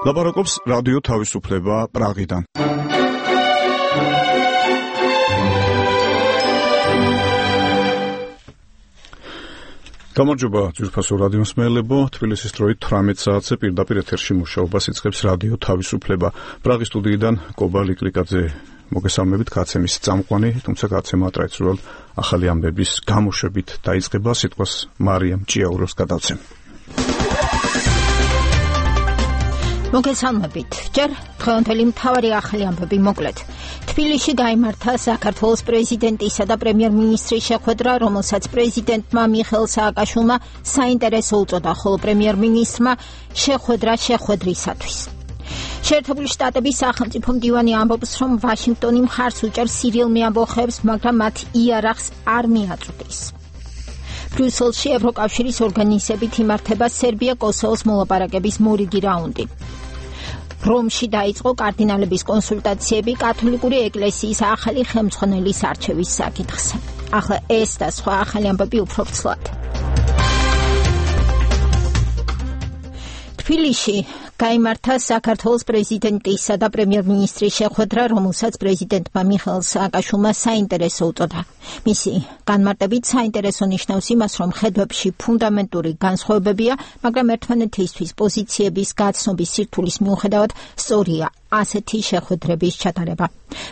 ლაპარაკობს რადიო თავისუფლება პრაღიდან. გამარჯობა ძვირფასო რადიო მსმენელებო, თბილისის დროით 18 საათზე პირდაპირ ეთერში მუშაობას იწყებს რადიო თავისუფლება. პრაღის სტუდიიდან კობა ლიკლიკაძე მოგესალმებით, გაცემის წამყვანი, თუმცა გაცემა ტრადიციულად ახალი ამბების გამოშვებით დაიწყება. სიტყვას მარიამ ჭიაუროს გადავცემ. მოგესალმებით. ჯერ დღევანდელი მთავარი ახალი ამბები მოკლედ. თბილისში გაიმართა საქართველოს პრეზიდენტისა და პრემიერ-მინისტრის შეხვედრა, რომელსაც პრეზიდენტმა მიხეილ სააკაშვილმა საინტერესო უწოდა, ხოლო პრემიერ-მინისტრმა შეხვედრა შეხვედრისათვის. შეერთებული შტატების სახელმწიფო მდივანი ამბობს, რომ ვაშინგტონი მხარს უჭერს სირიელ მეამბოხეებს, მაგრამ მათ იარაღს არ მიაწვდის. ბრიუსელში ევროკავშირის ორგანიზებით იმართება სერბია-კოსოვოს მოლაპარაკების მორიგი რაუნდი. რომში დაიწყო კარდინალების კონსულტაციები კათოლიკური ეკლესიის ახალი ხელმძღვანელის არჩევის საკითხს. ახლა ეს და სხვა ახალი ამბები უფრო ვრცლად. თბილისში გაიმართა საქართველოს პრეზიდენტისა და პრემიერ-მინისტრის შეხვედრა, რომელსაც პრეზიდენტმა მიხეილ სააკაშვილმა საინტერესო უწოდა. მისი განმარტებით საინტერესო ნიშნავს იმას, რომ ხედვებში ფუნდამენტური განსხვავებებია, მაგრამ ერთმანეთისთვის პოზიციების გაცნობის სირთულის მიუხედავად სწორია ასეთი შეხვედრების ჩატარება.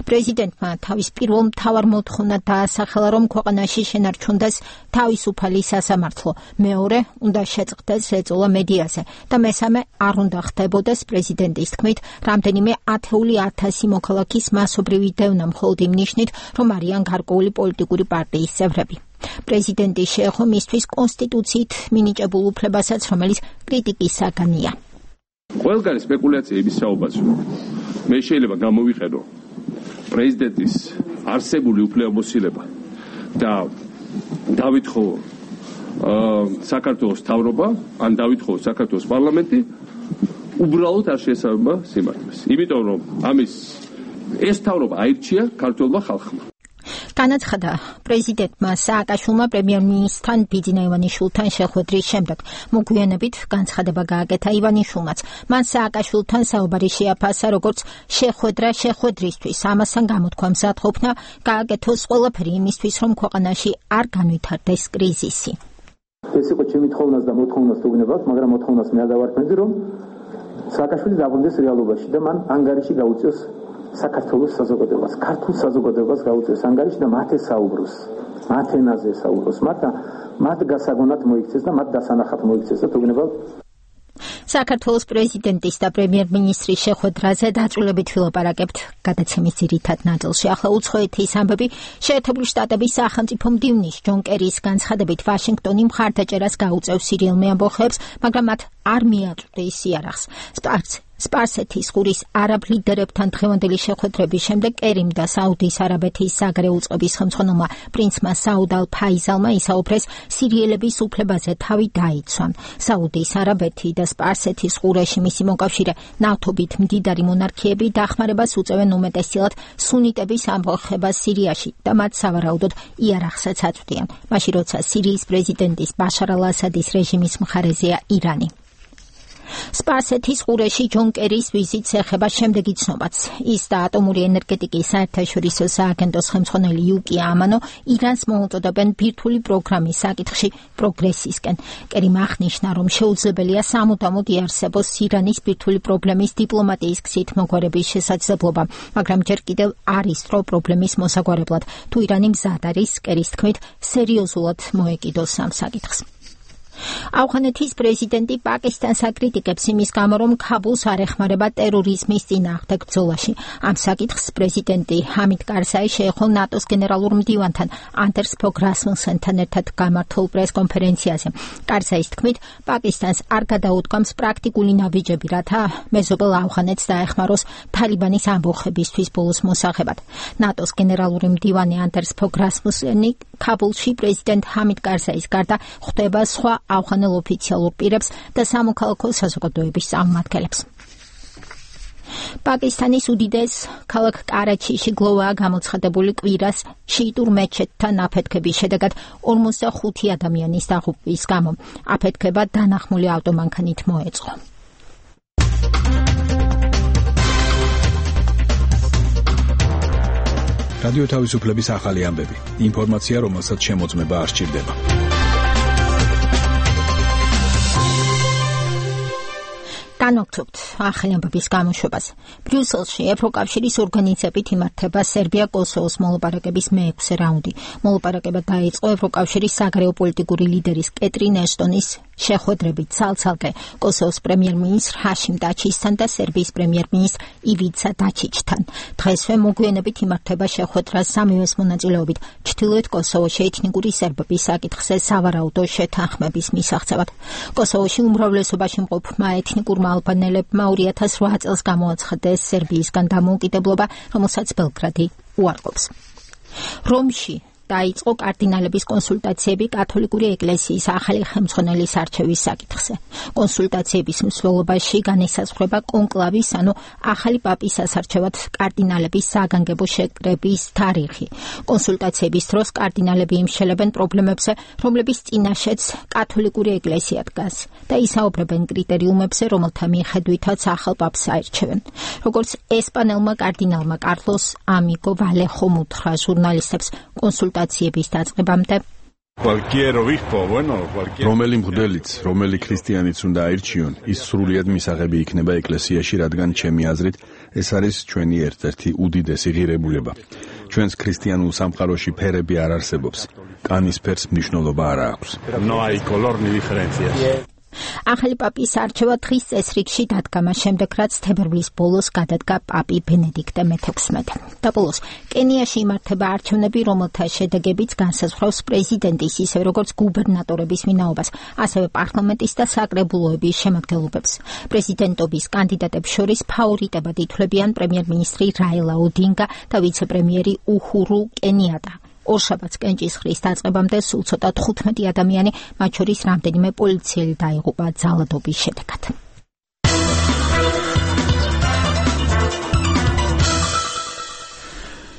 პრეზიდენტმა თავის პირველ მთავარ მოთხოვნად დაასახელა, რომ ქვეყანაში შენარჩუნდეს თავისუფალი სასამართლო, მეორე უნდა შეწყდეს ეწოლა მედიაზე და მესამე არ უნდა ხდებოდეს პრეზიდენტის თქმით რამდენიმე ათეული ათასი მოქალაქის მასობრივი დევნა მხოლოდ იმ ნიშნით, რომ არიან გარკვეული პოლიტიკური პარტიის წევრები. პრეზიდენტი შეეხო მისთვის კონსტიტუციით მინიჭებულ უფლებასაც, რომელიც კრიტიკის საგანია. ყველგან სპეკულაცია იმის საუბარია. მე შეიძლება გამოვიყენო პრეზიდენტის არსებული უფლებამოსილება და დავითხოვო საქართველოს მთავრობა, ან დავითხოვო საქართველოს პარლამენტი, უბრალოდ არ შეესაბამება სიმართლეს. იმიტომ რომ ეს მთავრობა აირჩია ქართველმა ხალხმა. განაცხადა პრეზიდენტმა სააკაშვილმა პრემიერ-მინისტრთან ბიძინა ივანიშვილთან შეხვედრის შემდეგ. მოგვიანებით განცხადება გააკეთა ივანიშვილმაც. მან სააკაშვილთან საუბარი შეაფასა, როგორც შეხვედრა შეხვედრისთვის. ამასთან გამოთქვა მზადყოფნა გააკეთოს ყველაფერი იმისთვის, რომ ქვეყანაში არ განვითარდეს კრიზისი. ეს იყო ჩემი თხოვნას და მოთხოვნას თუგნებავთ, მაგრამ მოთხოვნას მე არ დავარქმევდი, რომ სააკაშვილი დაბრუნდეს რეალობაში და მან ანგარიში გაუწიოს საქართველოს საზოგადოებას, ქართულ საზოგადოებას გაუწიოს ანგარიში და მათ ესაუბროს, მათ ენაზე ესაუბროს, მათ გასაგონად მოიქცეს და მათ დასანახად მოიქცეს და თუგნებავთ. საქართველოს პრეზიდენტის და პრემიერ-მინისტრის შეხვედრაზე დაწვრილებით ვილაპარაკებთ გადაცემის ძირითად ნაწილში. ახლა უცხოეთის ამბები. შეერთებული შტატების სახელმწიფო მდივნის ჯონ კერის განცხადებით ვაშინგტონი მხარდაჭერას გაუწევს სირიელ მეამბოხეებს, მაგრამ მათ არ მიაწვდის იარაღს. სპარსეთის ყურის არაბ ლიდერებთან დღევანდელი შეხვედრების შემდეგ კერიმ და საუდის არაბეთის საგარეო წყობის ხელმძღვანელმა პრინცმა საუდ ალ ფაიზალმა ისაუბრეს სირიელების უფლებაზე თავი დაიცვან. საუდის არაბეთი და სპარსეთის ყურეში მისი მოკავშირე ნავთობით მდიდარი მონარქიები დახმარებას უწევენ უმეტესწილად სუნიტების ამბოხებას სირიაში და მათ სავარაუდოდ იარაღსაც აწვდიან, მაშინ როცა სირიის პრეზიდენტის ბაშარ ალ-ასადის რეჟიმის მხარეზეა ირანი. სპარსეთის ყურეში ჯონ კერის ვიზიტს ეხება შემდეგი ცნობაც. ის და ატომური ენერგეტიკის საერთაშორისო სააგენტოს ხელმძღვანელი იუკი ამანო ირანს მოუწოდებენ ბირთვული პროგრამის საკითხში პროგრესისკენ. კერიმ აღნიშნა, რომ შეუძლებელია სამუდამოდ იარსებოს ირანის ბირთვული პრობლემის დიპლომატიის გზით მოგვარების შესაძლებლობა, მაგრამ ჯერ კიდევ არის დრო პრობლემის მოსაგვარებლად. თუ ირანი მზად არის, კერის თქმით, სერიოზულად მოეკიდოს ამ საკითხს. ავღანეთის პრეზიდენტი პაკისტანს აკრიტიკებს იმის გამო, რომ ქაბულს არ ეხმარება ტერორიზმის წინააღმდეგ ბრძოლაში. ამ საკითხს პრეზიდენტი ჰამიდ კარზაი შეეხო ნატოს გენერალურ მდივანთან ანდერს ფოგ რასმუსენთან ერთად გამართულ პრესკონფერენციაზე. კარზაის თქმით, პაკისტანს არ გადაუდგამს პრაქტიკული ნაბიჯები, რათა მეზობელ ავღანეთს დაეხმაროს თალიბანის ამბოხებისთვის ბოლოს მოსაღებად. ნატოს გენერალური მდივანი ანდერს ფოგ რასმუსენი ქაბულში პრეზიდენტ ჰამიდ კარზაის გარდა ხვდება სხვა ავღანელ ოფიციალურ პირებს და სამოქალაქო საზოგადოების წარმომადგენლებს. პაკისტანის უდიდეს ქალაქ კარაჩიში გლოვაა გამოცხადებული კვირას შიიტურ მეჩეთთან აფეთქების შედეგად 45 ადამიანის დაღუპვის გამო. აფეთქება დანახმული ავტომანქანით მოეწყო. რადიო თავისუფლების ახალი ამბები. ინფორმაცია, რომელსაც შემოწმება არ სჭირდება. განვაგრძობთ ახალი ამბების გამოშვებას. ბრიუსელში ევროკავშირის ორგანიზებით იმართება სერბია-კოსოვოს მოლაპარაკების მეექვსე რაუნდი. მოლაპარაკება დაიწყო ევროკავშირის საგარეო პოლიტიკური ლიდერის კეტრინ ეშტონის შეხვედრებით ცალ-ცალკე კოსოვოს პრემიერ-მინისტრ ჰაშიმ დაჩისთან და სერბიის პრემიერ-მინისტრ ივიცა დაჩიჩთან. დღესვე მოგვიანებით იმართება შეხვედრა სამივეს მონაწილეობით ჩრდილოეთ კოსოვოში ეთნიკური სერბების საკითხზე სავარაუდო შეთანხმების მისაღწევად. კოსოვოში უმრავლესობაში მყოფმა ეთნიკურმა ალბანელებმა 2008 წელს გამოაცხადეს სერბიისგან დამოუკიდებლობა, რომელსაც ბელგრადი უარყოფს. რომში დაიწყო კარდინალების კონსულტაციები კათოლიკური ეკლესიის ახალი ხელმძღვანელის არჩევის საკითხზე. კონსულტაციების მსვლელობაში განისაზღვრება კონკლავის, ანუ ახალი პაპის ასარჩევად კარდინალების საგანგებო შეკრების თარიღი. კონსულტაციების დროს კარდინალები იმშელებენ პრობლემებზე, რომლების წინაშეც კათოლიკური ეკლესია დგას და ისაუბრებენ კრიტერიუმებზე, რომელთა მიხედვითაც ახალ პაპს აირჩევენ. როგორც ესპანელმა კარდინალმა კარლოს ამიგო ვალეხომ უთხრა ჟურნალისტებს კონსულტაციების დაწყებამდე, რომელი მღვდელიც, რომელი ქრისტიანიც უნდა აირჩიონ, ის სრულიად მისაღები იქნება ეკლესიაში, რადგან ჩემი აზრით ეს არის ჩვენი ერთ-ერთი უდიდესი ღირებულება. ჩვენს ქრისტიანულ სამყაროში ფერები არ არსებობს. კანის ფერს მნიშვნელობა არ აქვს. ახალი პაპის არჩევა დღის წესრიგში დადგა მას შემდეგ, რაც თებერვლის ბოლოს გადადგა პაპი ბენედიქტე მე-16. და ბოლოს კენიაში იმართება არჩევნები, რომელთა შედეგებიც განსაზღვრავს პრეზიდენტის, ისევე როგორც გუბერნატორების ვინაობას, ასევე პარლამენტის და საკრებულოების შემადგენლობებს. პრეზიდენტობის კანდიდატებს შორის ფავორიტებად ითვლებიან პრემიერ-მინისტრი რაილა ოდინგა და ვიცე-პრემიერი უჰურუ კენიატა. ორშაბათს კენჭისყრის დაწყებამდე სულ ცოტა 15 ადამიანი, მათ შორის რამდენიმე პოლიციელი დაიღუპა ძალადობის შედეგად.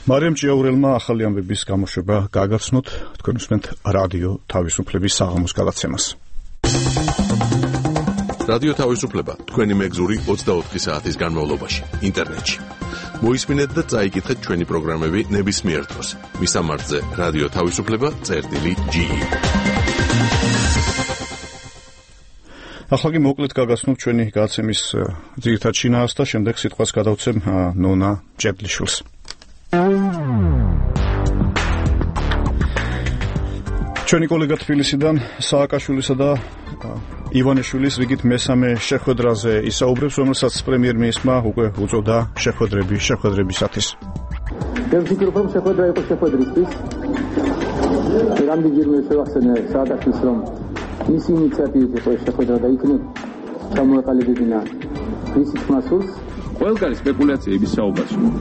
მარიამ ჭიაურელმა ახალი ამბების გამოშვება გააგრძნოთ. თქვენ უსმენთ რადიო თავისუფლების საღამოს გადაცემას. რადიო თავისუფლება თქვენი მეგზური 24 საათის განმავლობაში ინტერნეტში. მოისმინეთ და წაიკითხეთ ჩვენი პროგრამები ნებისმიერ დროს. მისამართზე რადიო თავისუფლება.ge. ახლა კი მოკლედ გაგაცნობთ ჩვენი გადაცემის ძირითად შინაარსს და შემდეგ სიტყვას გადავცემ ნონა ჭებლიშვილს. ჩვენი კოლეგა თბილისიდან სააკაშვილისა და ივანიშვილის რიგით მესამე შეხვედრაზე ისაუბრებს, რომელსაც პრემიერ-მინისტრმა უკვე უწოდა შეხვედრებისათვის. მე ვფიქრობ, რომ შეხვედრა იყო შეხვედრისთვის. რამდენჯერმე შევახსენე სააკაშვილს, რომ მისი ინიციატივით იყო შეხვედრა და იქნებ ჩამოეყალიბებინა მისი თმასულს. ყველგან სპეკულაცია იმის საუბარს, რომ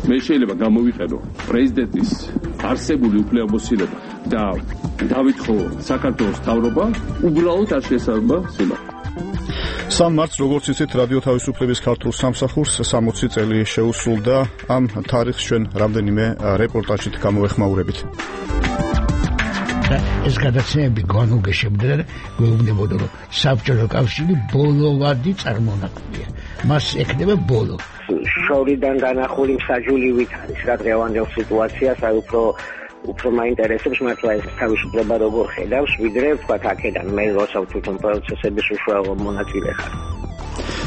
მე შეიძლება გამოვიყენო პრეზიდენტის არსებული უფლებამოსილება და დავითხოვო საქართველოს მთავრობა, უბრალოდ არ შეესაბამება სიმართლეს. 3 მარტს, როგორც იცით, რადიო თავისუფლების ქართულ სამსახურს 60 წელი შეუსრულდა. ამ თარიღს ჩვენ რამდენიმე რეპორტაჟით გამოვეხმაურებით. ეს გადაცემები განუგეშებდა და გვეუბნებოდა, რომ საბჭოთა კავშირი ბოლოვადი წარმონაქმნია. მას ექნება ბოლო. შორიდან განახული მსაჯულივით არის რა დღევანდელ სიტუაციას, აი უფრო მაინტერესებს მართლა ეს თავისუფლება როგორ ხედავს, ვიდრე ვთქვათ აქედან მე როცა თვითონ პროცესების უშუალო მონაწილე ხარ.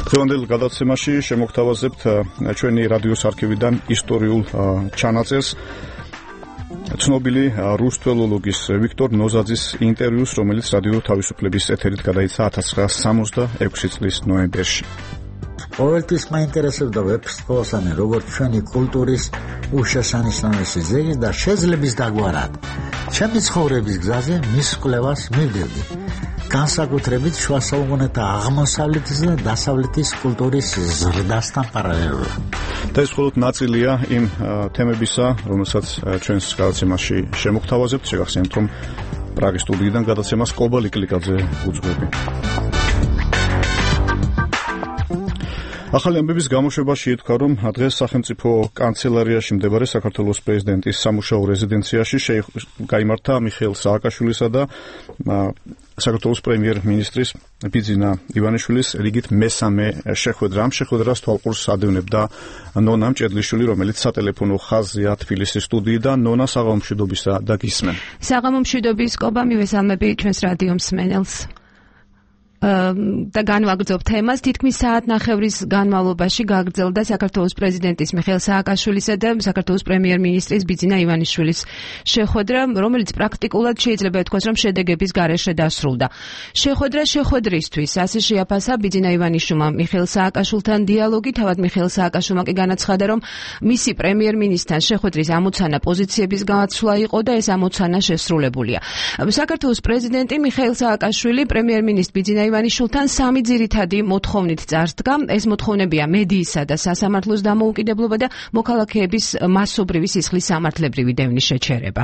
დღევანდელ გადაცემაში შემოგთავაზებთ ჩვენი რადიოს არქივიდან ისტორიულ ჩანაწერს. ცნობილი რუსთველოლოგის ვიქტორ ნოზაძის ინტერვიუს, რომელიც რადიო თავისუფლების ეთერით გადაიცა 1966 წლის ნოემბერში. ყოველთვის მაინტერესებდა ვეფხისტყაოსანი, როგორც ჩვენი კულტურის უშესანიშნავესი ძეგლი და შეძლების დაგვარად. ჩემი ცხოვრების გზაზე მის კვლევას მივდივდი. განსაკუთრებით შუა საუკუნეთა აღმოსავლეთის და დასავლეთის კულტურის ზრდასთან პარალელურად. და ეს მხოლოდ ნაწილია იმ თემებისა, რომელსაც ჩვენს გადაცემაში შემოგთავაზებთ. შეგახსენებთ, რომ პრაღის სტუდიიდან გადაცემას კობა ლიკლიკაძე უძღვები. ახალი ამბების გამოშვებაში ითქვა, რომ დღეს სახელმწიფო კანცელარიაში მდებარე საქართველოს პრეზიდენტის სამუშაო რეზიდენციაში გაიმართა მიხეილ სააკაშვილისა და საქართველოს პრემიერ-მინისტრის ბიძინა ივანიშვილის რიგით მესამე შეხვედრა. ამ შეხვედრას თვალყურს ადევნებდა ნონა მჭედლიშვილი, რომელიც სატელეფონო ხაზზეა თბილისის სტუდიიდან. ნონა, საღამომშვიდობისა და გისმენ. საღამომშვიდობის კობა, მივესალმები ჩვენს რადიო მსმენელს. და განვაგრძობ თემას. თითქმის საათნახევრის განმავლობაში გაგრძელდა საქართველოს პრეზიდენტის მიხეილ სააკაშვილისა და საქართველოს პრემიერ-მინისტრის ბიძინა ივანიშვილის შეხვედრა, რომელიც პრაქტიკულად შეიძლება ითქვას, რომ შედეგების გარეშე დასრულდა. შეხვედრა შეხვედრისთვის ასე შეაფასა ბიძინა ივანიშვილმა მიხეილ სააკაშვილთან დიალოგი. თავად მიხეილ სააკაშვილმა კი განაცხადა, რომ მისი პრემიერ-მინისტრთან შეხვედრის ამოცანა პოზიციების გაცვლა იყო და ეს ამოცანა შესრულებულია. საქართველოს პრეზიდენტი მიხეილ სააკაშვილი პრემიერ-მინისტრ ბიძინა ივანიშვილთან სამი ძირითადი მოთხოვნით წარსდგა. ეს მოთხოვნებია მედიისა და სასამართლოს დამოუკიდებლობა და მოქალაქეების მასობრივი სისხლის სამართლებრივი დევნის შეჩერება.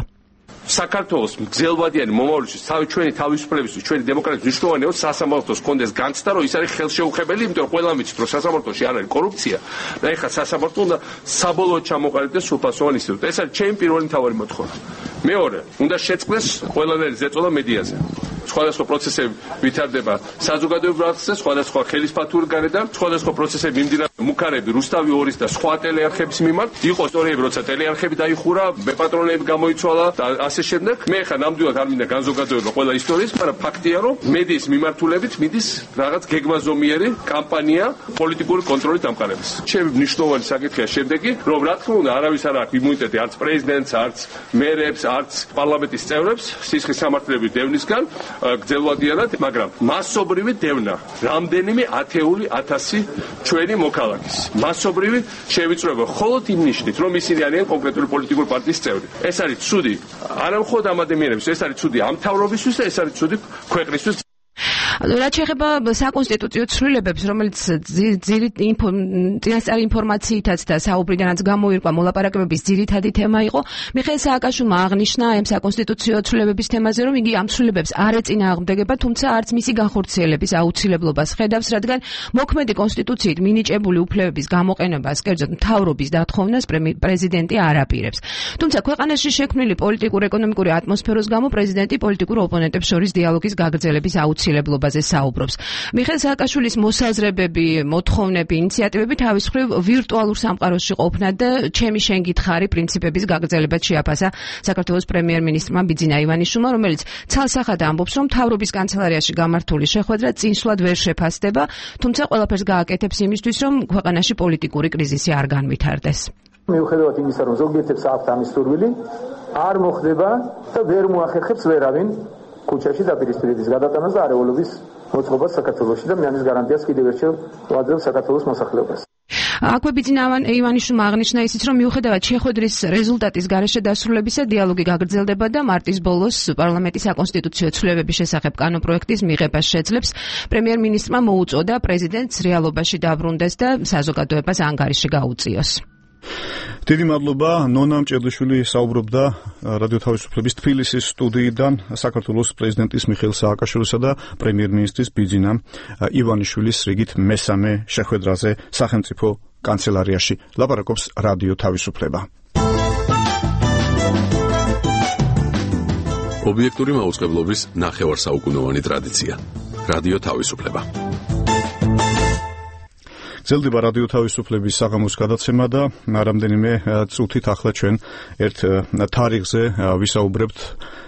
საქართველოს გრძელვადიანი მომავალში ჩვენი თავისუფლებისთვის, ჩვენი დემოკრატიის მნიშვნელოვანი სასამართლოს კონდეს განცდა, რომ ის არის ხელშეუხებელი, იმიტომ რომ ყველა ვიცით, რომ სასამართლოში არ არის კორუფცია და ეხლა სასამართლო უნდა საბოლოოდ ჩამოყალიბდეს სრულფასოვან ინსტიტუტად. ეს არის ჩემი პირველი მთავარი მოთხოვნა. მეორე, უნდა შეწყდეს ყველანაირი ზეწოლა მედიაზე. სხვადასხვა პროცესები ვითარდება საზოგადოებრივ არხზე, სხვადასხვა ხელისფათური გარედან, სხვადასხვა პროცესები მიმდინარეობს მუქარები, რუსთავი 2-ის და სხვა ტელეარხების მიმართ. იყო ისტორიები, როცა ტელეარხები დაიხურა, ბეპატრონეები გამოიცვალა და ასე შემდეგ. მე ხა ნამდვილად არ მინდა განზოგადოება ყველა ისტორიის, მაგრამ ფაქტია, რომ მედიის მიმართულებით მიდის რაღაც გეგმაზომიერი კამპანია პოლიტიკური კონტროლის დამყარების. ჩემი მნიშვნელოვანი საკითხია შემდეგი, რომ რა თქმა უნდა არავის არ აქვს იმუნიტეტი არც პრეზიდენტს, არც მერებს, არც პარლამენტის წევრებს სისხლის სამართლებრივი დევნისგან გრძელვადიანად, მაგრამ მასობრივი დევნა რამდენიმე ათეული ათასი ჩვენი მოქალაქის მასობრივი შევიწროება მხოლოდ იმ ნიშნით, რომ ისინი არიან კონკრეტული პოლიტიკური პარტიის წევრი. ეს არის ცუდი არა მხოლოდ ამ ადამიანებისთვის, ეს არის ცუდი ამ მთავრობისთვის და ეს არის ცუდი ქვეყნისთვის. რაც შეეხება საკონსტიტუციო ცვლილებებს, რომელიც წინასწარი ინფორმაციითაც და საუბრიდანაც გამოირკვა მოლაპარაკებების ძირითადი თემა იყო, მიხეილ სააკაშვილმა აღნიშნა ამ საკონსტიტუციო ცვლილებების თემაზე, რომ იგი ამ ცვლილებებს არ ეწინააღმდეგება, თუმცა არც მისი განხორციელების აუცილებლობას ხედავს, რადგან მოქმედი კონსტიტუციით მინიჭებული უფლებების გამოყენებას, კერძოდ მთავრობის დათხოვნას პრეზიდენტი არ აპირებს. თუმცა ქვეყანაში შექმნილი პოლიტიკურ-ეკონომიკური ატმოსფეროს გამო პრეზიდენტი პოლიტიკურ ოპონენტებს შორის დიალოგის გაგრძელების აუცილებლობას საუბრობს. მიხეილ სააკაშვილის მოსაზრებები, მოთხოვნები, ინიციატივები თავის მხრივ ვირტუალურ სამყაროში ყოფნა და ჩემი შენ გითხარი პრინციპების გაგრძელებად შეაფასა საქართველოს პრემიერ-მინისტრმა ბიძინა ივანიშვილმა, რომელიც ცალსახად ამბობს, რომ მთავრობის კანცელარიაში გამართული შეხვედრა წინსვლად ვერ შეფასდება, თუმცა ყველაფერს გააკეთებს იმისთვის, რომ ქვეყანაში პოლიტიკური კრიზისი არ განვითარდეს. მიუხედავად იმისა, რომ ზოგიერთებს აქვთ ამის სურვილი, არ მოხდება და ვერ მოახერხებს ვერავინ ქუჩაში დაპირისპირების გადატანას და არეულობის მოწყობას საქართველოში და მე ამის გარანტიას კიდევ ერთხელ ვაძლევ საქართველოს მოსახლეობას. აქვე ბიძინა ივანიშვილმა აღნიშნა ისიც, რომ მიუხედავად შეხვედრის რეზულტატის გარეშე დასრულებისა, დიალოგი გაგრძელდება და მარტის ბოლოს პარლამენტის საკონსტიტუციო ცვლილებების შესახებ კანონპროექტის მიღებას შეძლებს. პრემიერ-მინისტრმა მოუწოდა პრეზიდენტს რეალობაში დაბრუნდეს და საზოგადოებას ანგარიში გაუწიოს. დიდი მადლობა. ნონა მჭედლიშვილი საუბრობდა რადიო თავისუფლების თბილისის სტუდიიდან საქართველოს პრეზიდენტის მიხეილ სააკაშვილისა და პრემიერ-მინისტრის ბიძინა ივანიშვილის რიგით მესამე შეხვედრაზე სახელმწიფო კანცელარიაში. ლაპარაკობს რადიო თავისუფლება. ობიექტური მაუწყებლობის ნახევარსაუკუნოვანი ტრადიცია. რადიო თავისუფლება. გრძელდება რადიო თავისუფლების საღამოს გადაცემა და რამდენიმე წუთით ახლა ჩვენ ერთ თარიღზე ვისაუბრებთ.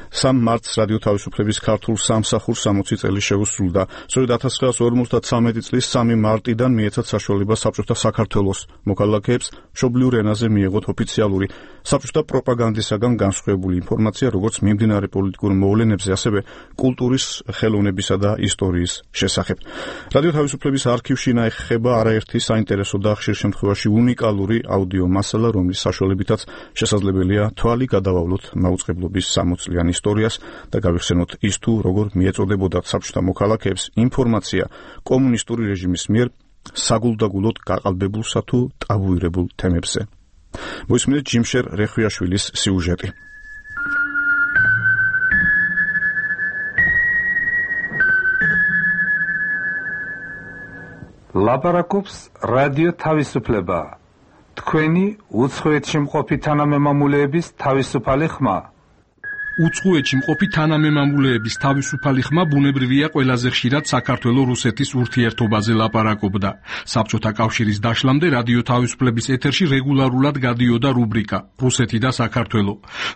3 მარტს რადიო თავისუფლების ქართულ სამსახურს 60 წელი შეუსრულდა. სწორედ 1953 წლის 3 მარტიდან მიეცათ საშუალება საბჭოთა საქართველოს მოქალაქეებს მშობლიურ ენაზე მიეღოთ ოფიციალური საბჭოთა პროპაგანდისაგან განსხვავებული ინფორმაცია, როგორც მიმდინარე პოლიტიკურ მოვლენებზე, ასევე კულტურის, ხელოვნებისა და ისტორიის შესახებ. რადიო თავისუფლების არქივში ინახება არაერთი საინტერესო და ხშირ შემთხვევაში უნიკალური აუდიო მასალა, რომლის საშუალებითაც შესაძლებელია თვალი გადავავლოთ მაუწყებლობის 60-წლიან ისტორიას და გავიხსენოთ ის თუ როგორ მიეწოდებოდათ საბჭოთა მოქალაქეებს ინფორმაცია კომუნისტური რეჟიმის მიერ საგულდაგულოდ გაყალბებულსა თუ ტაბუირებულ თემებზე. მოისმინეთ ჯიმშერ რეხვიაშვილის სიუჟეტი. ლაპარაკობს რადიო თავისუფლება. თქვენი უცხოეთში მყოფი თანამემამულეების თავისუფალი ხმა. უცხოეთში მყოფი თანამემამულეების თავისუფალი ხმა ბუნებრივია ყველაზე ხშირად საქართველო-რუსეთის ურთიერთობაზე ლაპარაკობდა. საბჭოთა კავშირის დაშლამდე რადიო თავისუფლების ეთერში რეგულარულად გადიოდა რუბრიკა რუსეთი და საქართველო,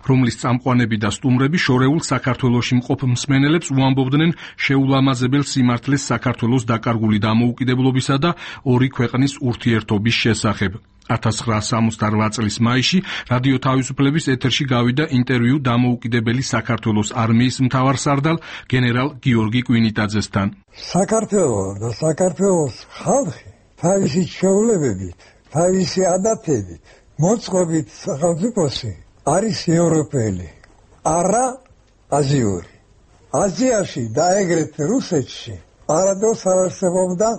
რომლის წამყვანები და სტუმრები შორეულ საქართველოში მყოფ მსმენელებს უამბობდნენ შეულამაზებელ სიმართლეს საქართველოს დაკარგული დამოუკიდებლობისა და ორი ქვეყნის ურთიერთობის შესახებ. 1968 წლის მაისში რადიო თავისუფლების ეთერში გავიდა ინტერვიუ დამოუკიდებელი საქართველოს არმიის მთავარსარდალ გენერალ გიორგი კვინიტაძესთან. საქართველო და საქართველოს ხალხი თავისი ჩვეულებებით, თავისი ადათებით, მოწყობით სახელმწიფოსი არის ევროპელი, არა აზიური. აზიაში და ეგრეთვე რუსეთში არადოს არ არსებობდა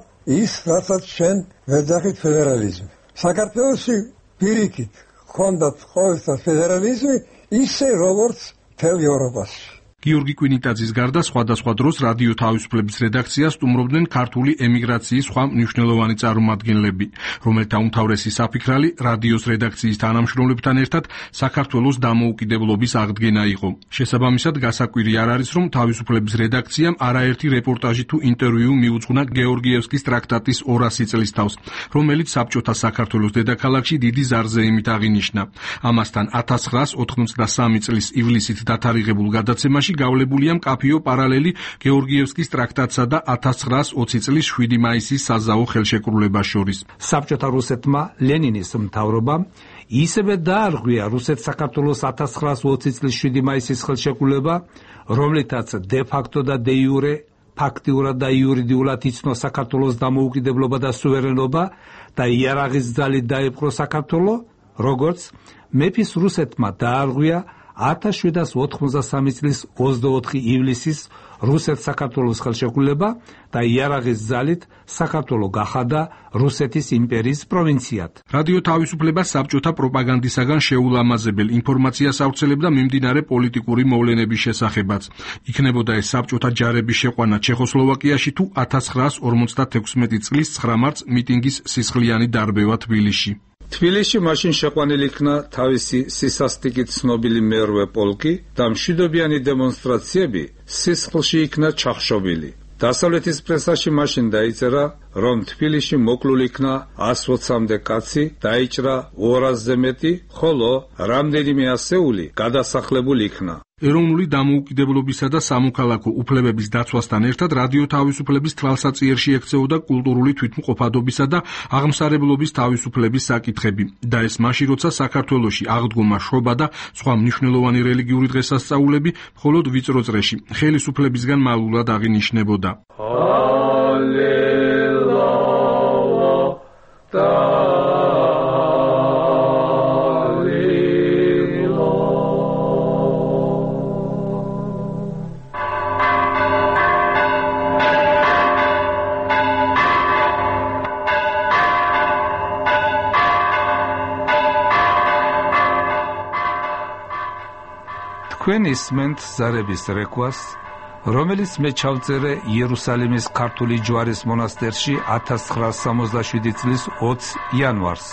ის, რასაც ჩვენ ვეძახით ფედერალიზმი. საქართველოში პირიქით ჰქონდათ ყოველთა ფედერალიზმი, ისე როგორც მთელ ევროპაში. გიორგი კვინიტაძის გარდა სხვადასხვა დროს რადიო თავისუფლების რედაქციას სტუმრობდნენ ქართული ემიგრაციის სხვა მნიშვნელოვანი წარმომადგენლები, რომელთა უმთავრესი საფიქრალი რადიოს რედაქციის თანამშრომლებთან ერთად საქართველოს დამოუკიდებლობის აღდგენა იყო. შესაბამისად, გასაკვირი არ არის, რომ თავისუფლების რედაქციამ არაერთი რეპორტაჟი თუ ინტერვიუ მიუძღვნა გეორგიევსკის ტრაქტატის 200 წლის თავს, რომელიც საბჭოთა საქართველოს დედაქალაქში დიდი ზარზეიმით აღინიშნა. ამასთან 1983 წლის ივლისით დათარიღებულ გადაცემაში გავლებულია მკაფიო პარალელი გეორგიევსკის ტრაქტატსა და 1920 წლის 7 მაისის საზაო ხელშეკრულებას შორის. საბჭოთა რუსეთმა ლენინის მთავრობამ ისევე დაარღვია რუსეთ-საქართველოს 1920 წლის 7 მაისის ხელშეკრულება, რომლითაც დე-ფაქტო და დე-იურე ფაქტიურად და იურიდიულად იცნო საქართველოს დამოუკიდებლობა და სუვერენობა და იარაღის ძალით დაიპყრო საქართველო, როგორც მეფის რუსეთმა დაარღვია 1793 წლის 24 ივლისის რუსეთ-საქართველოს ხელშეკრულება და იარაღის ძალით საქართველო გახადა რუსეთის იმპერიის პროვინციად. რადიო თავისუფლება საბჭოთა პროპაგანდისაგან შეულამაზებელ ინფორმაციას ავრცელებდა მიმდინარე პოლიტიკური მოვლენების შესახებაც. იქნებოდა ეს საბჭოთა ჯარების შეყვანა ჩეხოსლოვაკიაში თუ 1956 წლის 9 მარტს მიტინგის სისხლიანი დარბევა თბილისში. თბილისში მაშინ შეყვანილი იქნა თავისი სისასტიკით ცნობილი მერვე პოლკი და მშვიდობიანი დემონსტრაციები სისხლში იქნა ჩახშობილი. დასავლეთის პრესაში მაშინ დაიწერა, რომ თბილისში მოკლული იქნა 120-მდე კაცი, დაიჭრა 200-ზე მეტი, ხოლო რამდენიმე ასეული გადასახლებული იქნა. ეროვნული დამოუკიდებლობისა და სამოქალაქო უფლებების დაცვასთან ერთად რადიო თავისუფლების თვალსაწიერში ექცეოდა კულტურული თვითმყოფადობისა და აღმსარებლობის თავისუფლების საკითხები და ეს მაშინ, როცა საქართველოში აღდგომა, შრობა და სხვა მნიშვნელოვანი რელიგიური დღესასწაულები მხოლოდ ვიწრო წრეში ხელისუფლებისგან მალულად აღინიშნებოდა. თქვენ ისმენთ ზარების რეკვას, რომელიც მე ჩავწერე იერუსალიმის ქართული ჯვარის მონასტერში 1967 წლის 20 იანვარს.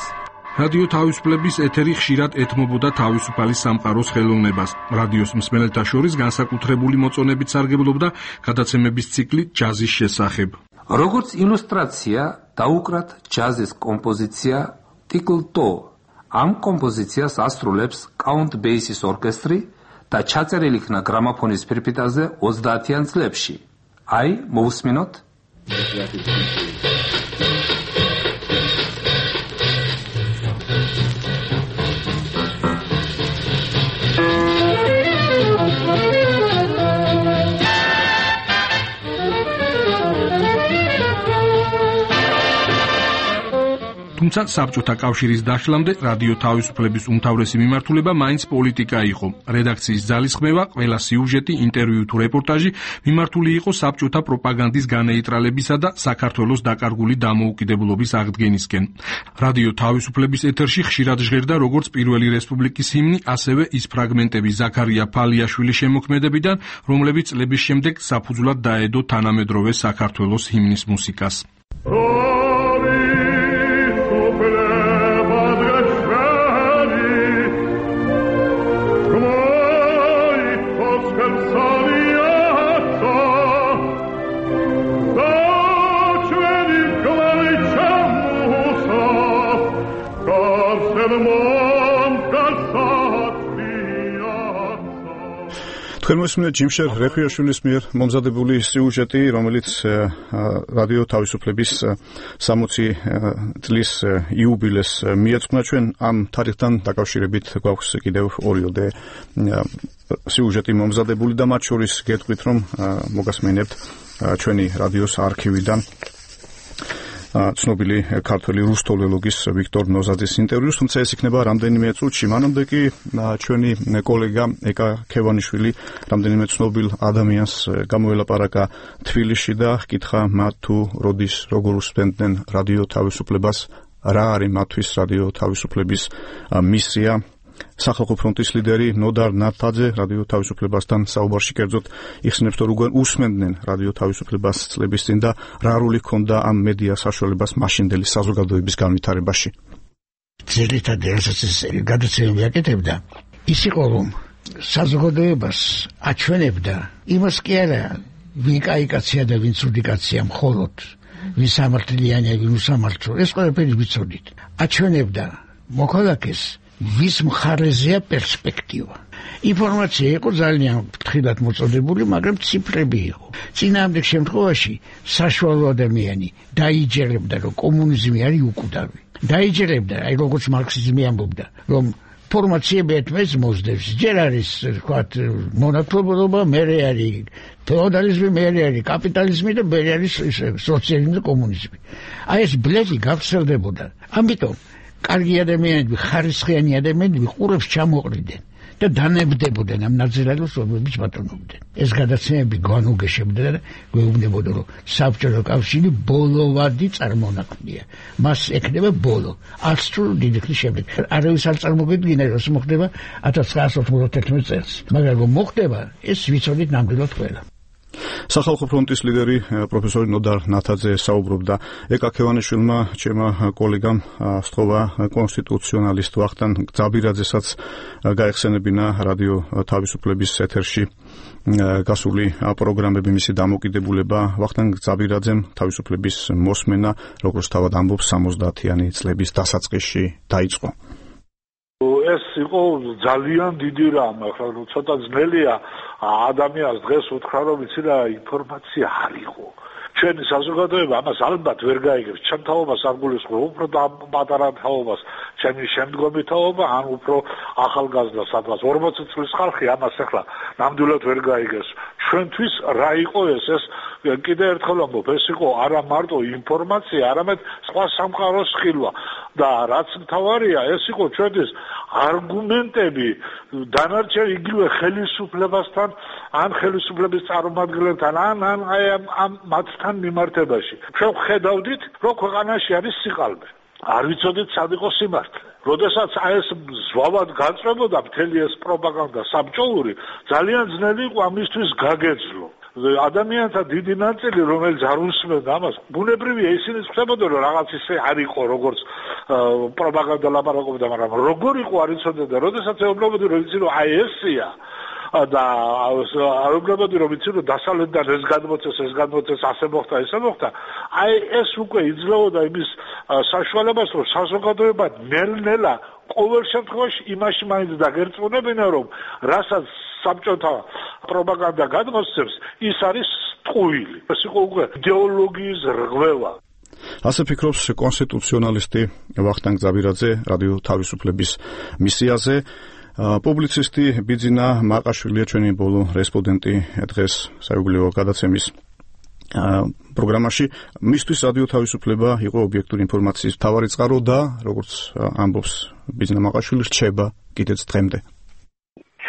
რადიო თავისუფლების ეთერი ხშირად ეთმობოდა თავისუფალი სამყაროს ხელოვნებას. რადიოს მსმენელთა შორის განსაკუთრებული მოწონებით სარგებლობდა გადაცემების ციკლი ჯაზის შესახებ. როგორც ილუსტრაცია დაუკრათ ჯაზის კომპოზიცია ტიკლ-ტო. ამ კომპოზიციას ასრულებს კაუნტ ბეისის ორკესტრი და ჩაწერილი იქნა გრამოფონის ფირფიტაზე 30-იან წლებში. აი, მოусმინოთ. თუმცა საბჭოთა კავშირის დაშლამდე რადიო თავისუფლების უმთავრესი მიმართულება მაინც პოლიტიკა იყო. რედაქციის ძალისხმევა, ყველა სიუჟეტი, ინტერვიუ თუ რეპორტაჟი მიმართული იყო საბჭოთა პროპაგანდის განეიტრალებისა და საქართველოს დაკარგული დამოუკიდებლობის აღდგენისკენ. რადიო თავისუფლების ეთერში ხშირად ჟღერდა როგორც პირველი რესპუბლიკის ჰიმნი, ასევე ის ფრაგმენტები ზაქარია ფალიაშვილის შემოქმედებიდან, რომლებიც წლების შემდეგ საფუძვლად დაედო თანამედროვე საქართველოს ჰიმნის მუსიკას. თქვენ მოსმენთ ჯიმშერ რეფიაშვილის მიერ მომზადებული სიუჟეტი, რომელიც რადიო თავისუფლების 60 წლის იუბილეს მიეძღვნა. ჩვენ ამ თარიღთან დაკავშირებით გვაქვს კიდევ 2-ოდე სიუჟეტი მომზადებული და მათ შორის გეტყვით, რომ მოგასმენებთ ჩვენი რადიოს არქივიდან ცნობილი ქართველი რუსთოლოგის ვიქტორ ნოზაძის ინტერვიუს, თუმცა ეს იქნება რამდენიმე წუთში. მანამდე კი ჩვენი კოლეგა ეკა ქევანიშვილი რამდენიმე ცნობილ ადამიანს გამოელაპარაკა თბილისში და ჰკითხა მათ თუ როდის როგორ უსმენდნენ რადიო თავისუფლებას, რა არის მათთვის რადიო თავისუფლების მისია. სახალხო ფრონტის ლიდერი ნოდარ ნათაძე რადიო თავისუფლებასთან საუბარში კერძოდ იხსენებს, რომ როგორ უსმენდნენ რადიო თავისუფლებას წლების წინ და რა როლი ჰქონდა ამ მედია საშუალებას მაშინდელი საზოგადოების განვითარებაში. ძირითადად რასაც ეს გადაცემები აკეთებდა, ის იყო, რომ საზოგადოებას აჩვენებდა იმას კი არა, ვინ კაი კაცია და ვინ ცუდი კაცია, მხოლოდ ვინ სამართლიანია, ვინ უსამართლო, ეს ყველაფერი ვიცოდით. აჩვენებდა მოქალაქეს ვის მხარეზეა პერსპექტივა. ინფორმაცია იყო ძალიან ფრთხილად მოწოდებული, მაგრამ ციფრები იყო. წინააღმდეგ შემთხვევაში საშუალო ადამიანი დაიჯერებდა, რომ კომუნიზმი არის უკვდავი. დაიჯერებდა, აი როგორც მარქსიზმი ამბობდა, რომ ფორმაციები ერთმანეთს მოსდევს. ჯერ არის, ვთქვათ, მონათლობობა, მერე არის ფეოდალიზმი, მერე არის კაპიტალიზმი და მერე არის სოციალიზმი და კომუნიზმი. აი ეს ბლედი გავრცელდებოდა. ამიტომ კარგი ადამიანები, ხარისხიანი ადამიანები ყურებს ჩამოყრიდნენ და დანებდებოდნენ ამ ნაძრალოს, რომლებიც ბატონობდნენ. ეს გადაცემები განუგეშებდა და გვეუბნებოდა, რომ საბჭოთა კავშირი ბოლოვადი წარმონაქმნია. მას ექნება ბოლო. 100 წლის დიდი ხნის შემდეგ. არავის არ წარმოგედგინა, რომ მოხდება 1991 წელს. მაგრამ რომ მოხდება, ეს ვიცოდით ნამდვილად ყველა. სახალხო ფრონტის ლიდერი პროფესორი ნოდარ ნათაძე საუბრობდა ეკა ქევანიშვილმა, ჩემმა კოლეგამ სწობა კონსტიტუციონალისტ ვახტანგ ძაბირაძესაც გაეხსენებინა რადიო თავისუფლების ეთერში გასული პროგრამები, მისი დამოკიდებულება. ვახტანგ ძაბირაძემ თავისუფლების მოსმენა, როგორც თავად ამბობს, 70-იანი წლების დასაწყისში დაიწყო. ეს იყო ძალიან დიდი რამ, ახლა ცოტა ძნელია ადამიანს დღეს უთხრა, რომ იცი რა ინფორმაცია არ იყო. ჩვენი საზოგადოება ამას ალბათ ვერ გაიგებს. ჩემ თაობას არ გულისხმობ, უფრო პატარა თაობას, ჩემი შემდგომი თაობა, ან უფრო ახალგაზრდა სადღაც 40 წლის ხალხი ამას ახლა ნამდვილად ვერ გაიგებს. ჩვენთვის რა იყო ეს კიდე ერთხელ ამბობ, ეს იყო არა მარტო ინფორმაცია, არამედ სხვა სამყაროს ხილვა და რაც მთავარია, ეს იყო ჩვენთვის არგუმენტები დანარჩენ იგივე ხელისუფლებასთან, ან ხელისუფლების წარმომადგენლებთან, ან აი ამ მათთან მიმართებაში. ჩვენ ხედავდით, რომ ქვეყანაში არის სიყალბე. არ ვიცოდით სად იყო სიმართლე. როდესაც აი ეს ზვავად განწმებოდა მთელი ეს პროპაგანდა საბჭოური, ძალიან ძნელი იყო ამისთვის გაგეძლო. ადამიანთა დიდი ნაწილი, რომელიც არ უსმენდა ამას, ბუნებრივია ისინი ხდებოდა, რომ რაღაც ისე არ იყო, როგორც პროპაგანდა ლაპარაკობდა, მაგრამ როგორ იყო არ იცოდნენ და როდესაც ეუბნებოდი, რომ იცი რომ აი ესია და აუგებოდი რომ იცი რომ დასავლეთიდან ეს გადმოცეს, ასე მოხდა, ესე მოხდა. აი ეს უკვე იძლეოდა იმის საშუალებას, რომ საზოგადოება ნელ-ნელა ყოველ შემთხვევაში იმაში მაინც დაგერწმუნებინა, რომ რასაც საბჭოთა პროპაგანდა გადმოსცემს, ის არის ტყუილი. ეს იყო უკვე იდეოლოგიის რღვევა. ასე ფიქრობს კონსტიტუციონალისტი ვახტანგ ძაბირაძე რადიო თავისუფლების მისიაზე. პუბლიცისტი ბიძინა მაყაშვილია ჩვენი ბოლო რესპონდენტი დღეს საიუბილეო გადაცემის პროგრამაში. მისთვის რადიო თავისუფლება იყო ობიექტური ინფორმაციის მთავარი წყარო და როგორც ამბობს ბიძინა მაყაშვილი, რჩება კიდეც დღემდე.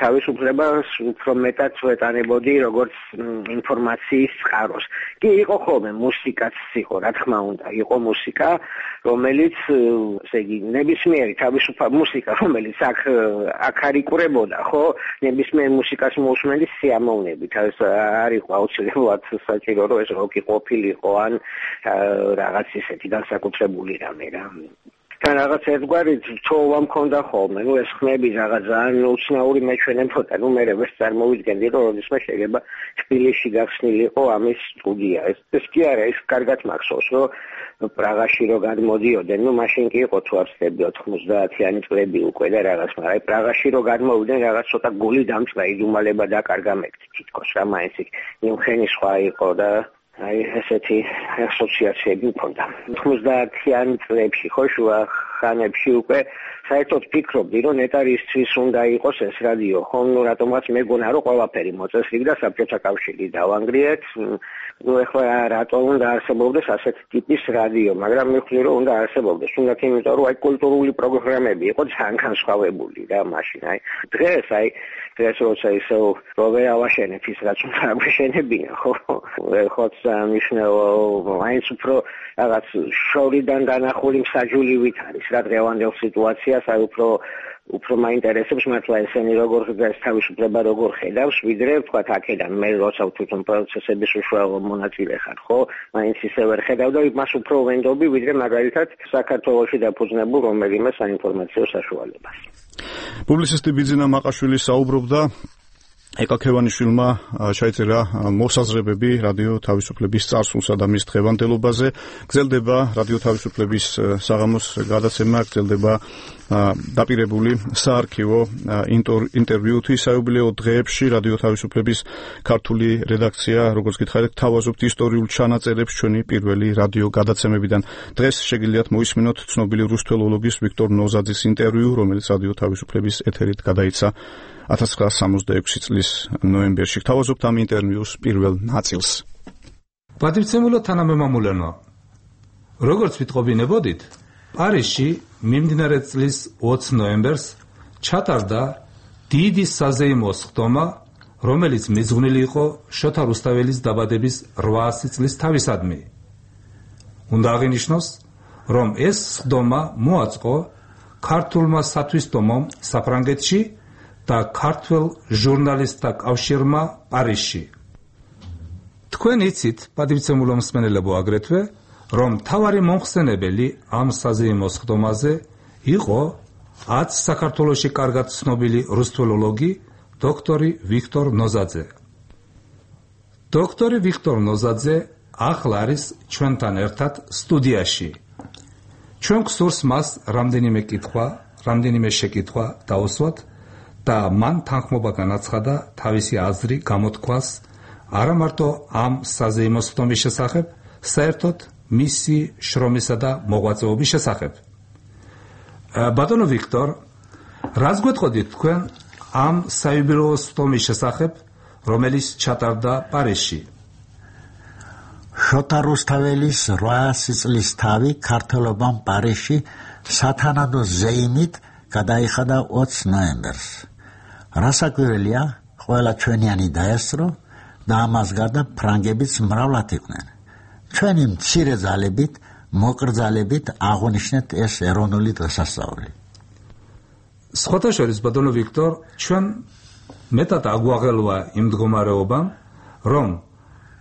თავისუფლებას უფრო მეტად ვეტანებოდი როგორც ინფორმაციის წყაროს. კი იყო ხოლმე მუსიკაც იყო, რა თქმა უნდა, იყო მუსიკა, რომელიც ესე იგი ნებისმიერი თავისუფალი მუსიკა, რომელიც აქ არ იკვრებოდა, ხო? ნებისმიერ მუსიკას მოусმენდი სიამოვნებით. ეს არ იყო აუცილებლად საჭირო, რომ ეს როკი ყოფილიყო ან რაღაც ისეთი განსაკუთრებული რამე რა. თან რაღაც ერთგვარი ცოვა მქონდა ხოლმე. ნუ ეს ხმები რაღაც ძალიან უცნაური მეჩვენებოდა. ნუ მე ვერ წარმოვიდგენდი, რომ როდესმე შეიძლება თბილისში გახსნილიყო ამის სტუდია. ეს კი არა, ის კარგად მახსოვს, რომ პრაღაში რო გადმოდიოდნენ, ნუ მაშინ კი იყო თუ არ ვცდები 90-იანი წლები უკვე და რაღაც, მაგრამ აი პრაღაში რო გადმოვიდნენ, რაღაც ცოტა გული დამწყდა, იდუმალება დაკარგა მეკ თითქოს რა მაინც ნიუხენი სხვა იყო და აი ესეთი ასოციაციები მქონდა. 90-იანი წლებში ხო შუა ხანებში უკვე საერთოდ ფიქრობდი, რომ ნეტარისთვის უნდა იყოს ეს რადიო. ხო, ნუ რატომღაც მეგონა, რომ ყველაფერი მოწესრიგდა და საბჭოთა კავშირი დავანგრიეთ. ნუ ეხლა რატო უნდა არსებობდეს ასეთი ტიპის რადიო, მაგრამ მივხვდი, რომ უნდა არსებობდეს. უნდა იმიტომ, რომ აი კულტურული პროგრამები იყო ძალიან განსხვავებული რა მაშინ. აი დღეს როცა ისე რო ვეავაშენებ ის რაც უნდა აგვეშენებინა, ხო? ხოც მნიშვნელო მაინც უფრო რაღაც შორიდან დანახული მსაჯულივით არის რა დღევანდელ სიტუაციას, აი უფრო მაინტერესებს მართლა ესენი როგორ ეს თავისუფლება როგორ ხედავს, ვიდრე თქვა აქედან მე როცა თვითონ პროცესების უშუალო მონაწილე ხარ, ხო? მაინც ისე ვერ ხედავ და მას უფრო ვენდობი, ვიდრე მაგალითად საქართველოში დაფუძნებულ რომელიმე საინფორმაციო საშუალებას. პუბლიცისტი ბიძინა მაყაშვილი საუბრობდა ეკაქევანიშვილმა შეეწერა მოსაზრებები რადიო თავისუფლების წარსულსა და მის დღევანდელობაზე. გრძელდება რადიო თავისუფლების საღამოს გადაცემა, გრძელდება დაპირებული საარქივო ინტერვიუ თვისაიუბილეო დღეებში რადიო თავისუფლების ქართული რედაქცია, როგორც გითხარით, თავაზობთ ისტორიულ ჩანაწერებს ჩვენი პირველი რადიო გადაცემებიდან. დღეს შეგიძლიათ მოისმინოთ ცნობილი რუსთველოლოგის ვიქტორ ნოზაძის ინტერვიუ, რომელიც რადიო თავისუფლების ეთერით გადაიცა 1966 წლის ნოემბერში. თავაზობთ ამ ინტერვიუს პირველ ნაწილს. პატივცემულო თანამემამულენო, როგორც ვიტყობინებოდით, პარიზში მიმდინარე წლის 20 ნოემბერს ჩატარდა დიდი საზეიმო სხდომა, რომელიც მიძღვნილი იყო შოთა რუსთაველის დაბადების 800 წლის თავისადმი. უნდა აღინიშნოს, რომ ეს სხდომა მოაწყო ქართულმა სათვისტომომ საფრანგეთში და ქართველ ჟურნალისტთა კავშირმა პარიზში. თქვენ იცით, პატივცემულო მსმენელებო, აგრეთვე, რომ მთავარი მომხსენებელი ამ საზეიმო სხდომაზე იყო აც საქართველოში კარგად ცნობილი რუსთველოლოგი დოქტორი ვიქტორ ნოზაძე. დოქტორი ვიქტორ ნოზაძე ახლა არის ჩვენთან ერთად სტუდიაში. ჩვენ გსურს მას რამდენიმე შეკითხვა დაუსვათ და მან თანხმობა განაცხადა თავისი აზრი გამოთქვას არა მარტო ამ საზეიმო სხდომის შესახებ, საერთოდ მისი შრომისა და მოღვაწეობის შესახებ. ბატონო ვიქტორ, რას გვეტყოდით თქვენ ამ საიუბილეო სხდომის შესახებ, რომელიც ჩატარდა პარიზში? შოთა რუსთაველის 800 წლის თავი ქართველობამ პარიზში სათანადო ზეიმით გადაიხადა 20 ნოემბერს. რასაკვირველია, ყველა ჩვენიანი დაესწრო და ამას გარდა ფრანგებიც მრავლად იყვნენ. ჩვენი მცირე ძალებით, მოკრძალებით აღნიშნეთ ეს ეროვნული დღესასწაული. სხვათა შორის, ბატონო ვიქტორ, ჩვენ მეტად აგვაღელვა იმ მდგომარეობამ, რომ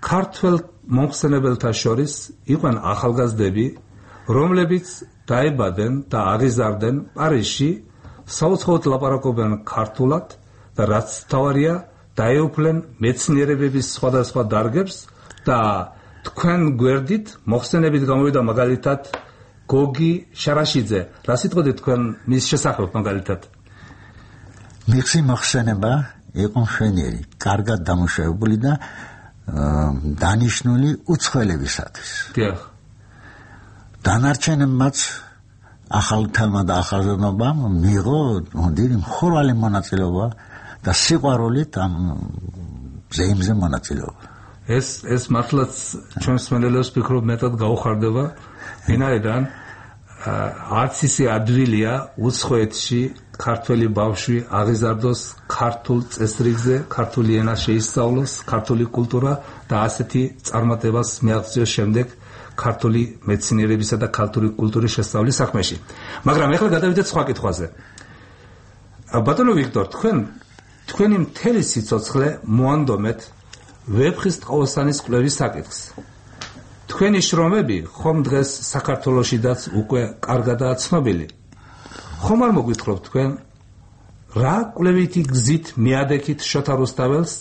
ქართველ მომხსენებელთა შორის იყვნენ ახალგაზრდები, რომლებიც დაიბადნენ და აღიზარდნენ პარიზში, საუცხოოდ ლაპარაკობენ ქართულად და რაც თავარია, დაეუფლენ მეცნიერებების სხვადასხვა დარგებს და თქვენ გვერდით მოხსენებით გამოვიდა მაგალითად გოგი შარაშიძე. რა სიტყვით თქვენ მის შესახებ მაგალითად? მისი მოხსენება იყო მშვენიერი, კარგად დამუშავებული და დანიშნული უცხოელებისათვის. დიახ. დანარჩენებმაც ახალთელმა და ახალგაზრდობამ მიიღო დიდი მხურვალე მონაწილეობა და სიყვარულით ამ ზეიმზე მონაწილეობა. ეს მართლაც ჩვენ მსმენელებს ფიქრობ მეტად გაუხარდება, ვინაიდან არც ისე ადვილია უცხოეთში ქართველი ბავშვი აღიზარდოს ქართულ წესრიგზე, ქართული ენა შეისწავლოს, ქართული კულტურა და ასეთი წარმატებას მიაღწიოს შემდეგ ქართული მეცნიერებისა და ქართული კულტურის შესწავლის საქმეში. მაგრამ ეხლა გადავიდეთ სხვა კითხვაზე. ბატონო ვიქტორ, თქვენი მთელი სიცოცხლე მოანდომეთ ვეფხისტყაოსანის კვლევის საკითხს. თქვენი შრომები ხომ დღეს საქართველოშიდაც უკვე კარგადაა ცნობილი. ხომ არ მოგვითხრობთ თქვენ რა კვლევითი გზით მიადექით შოთა რუსთაველს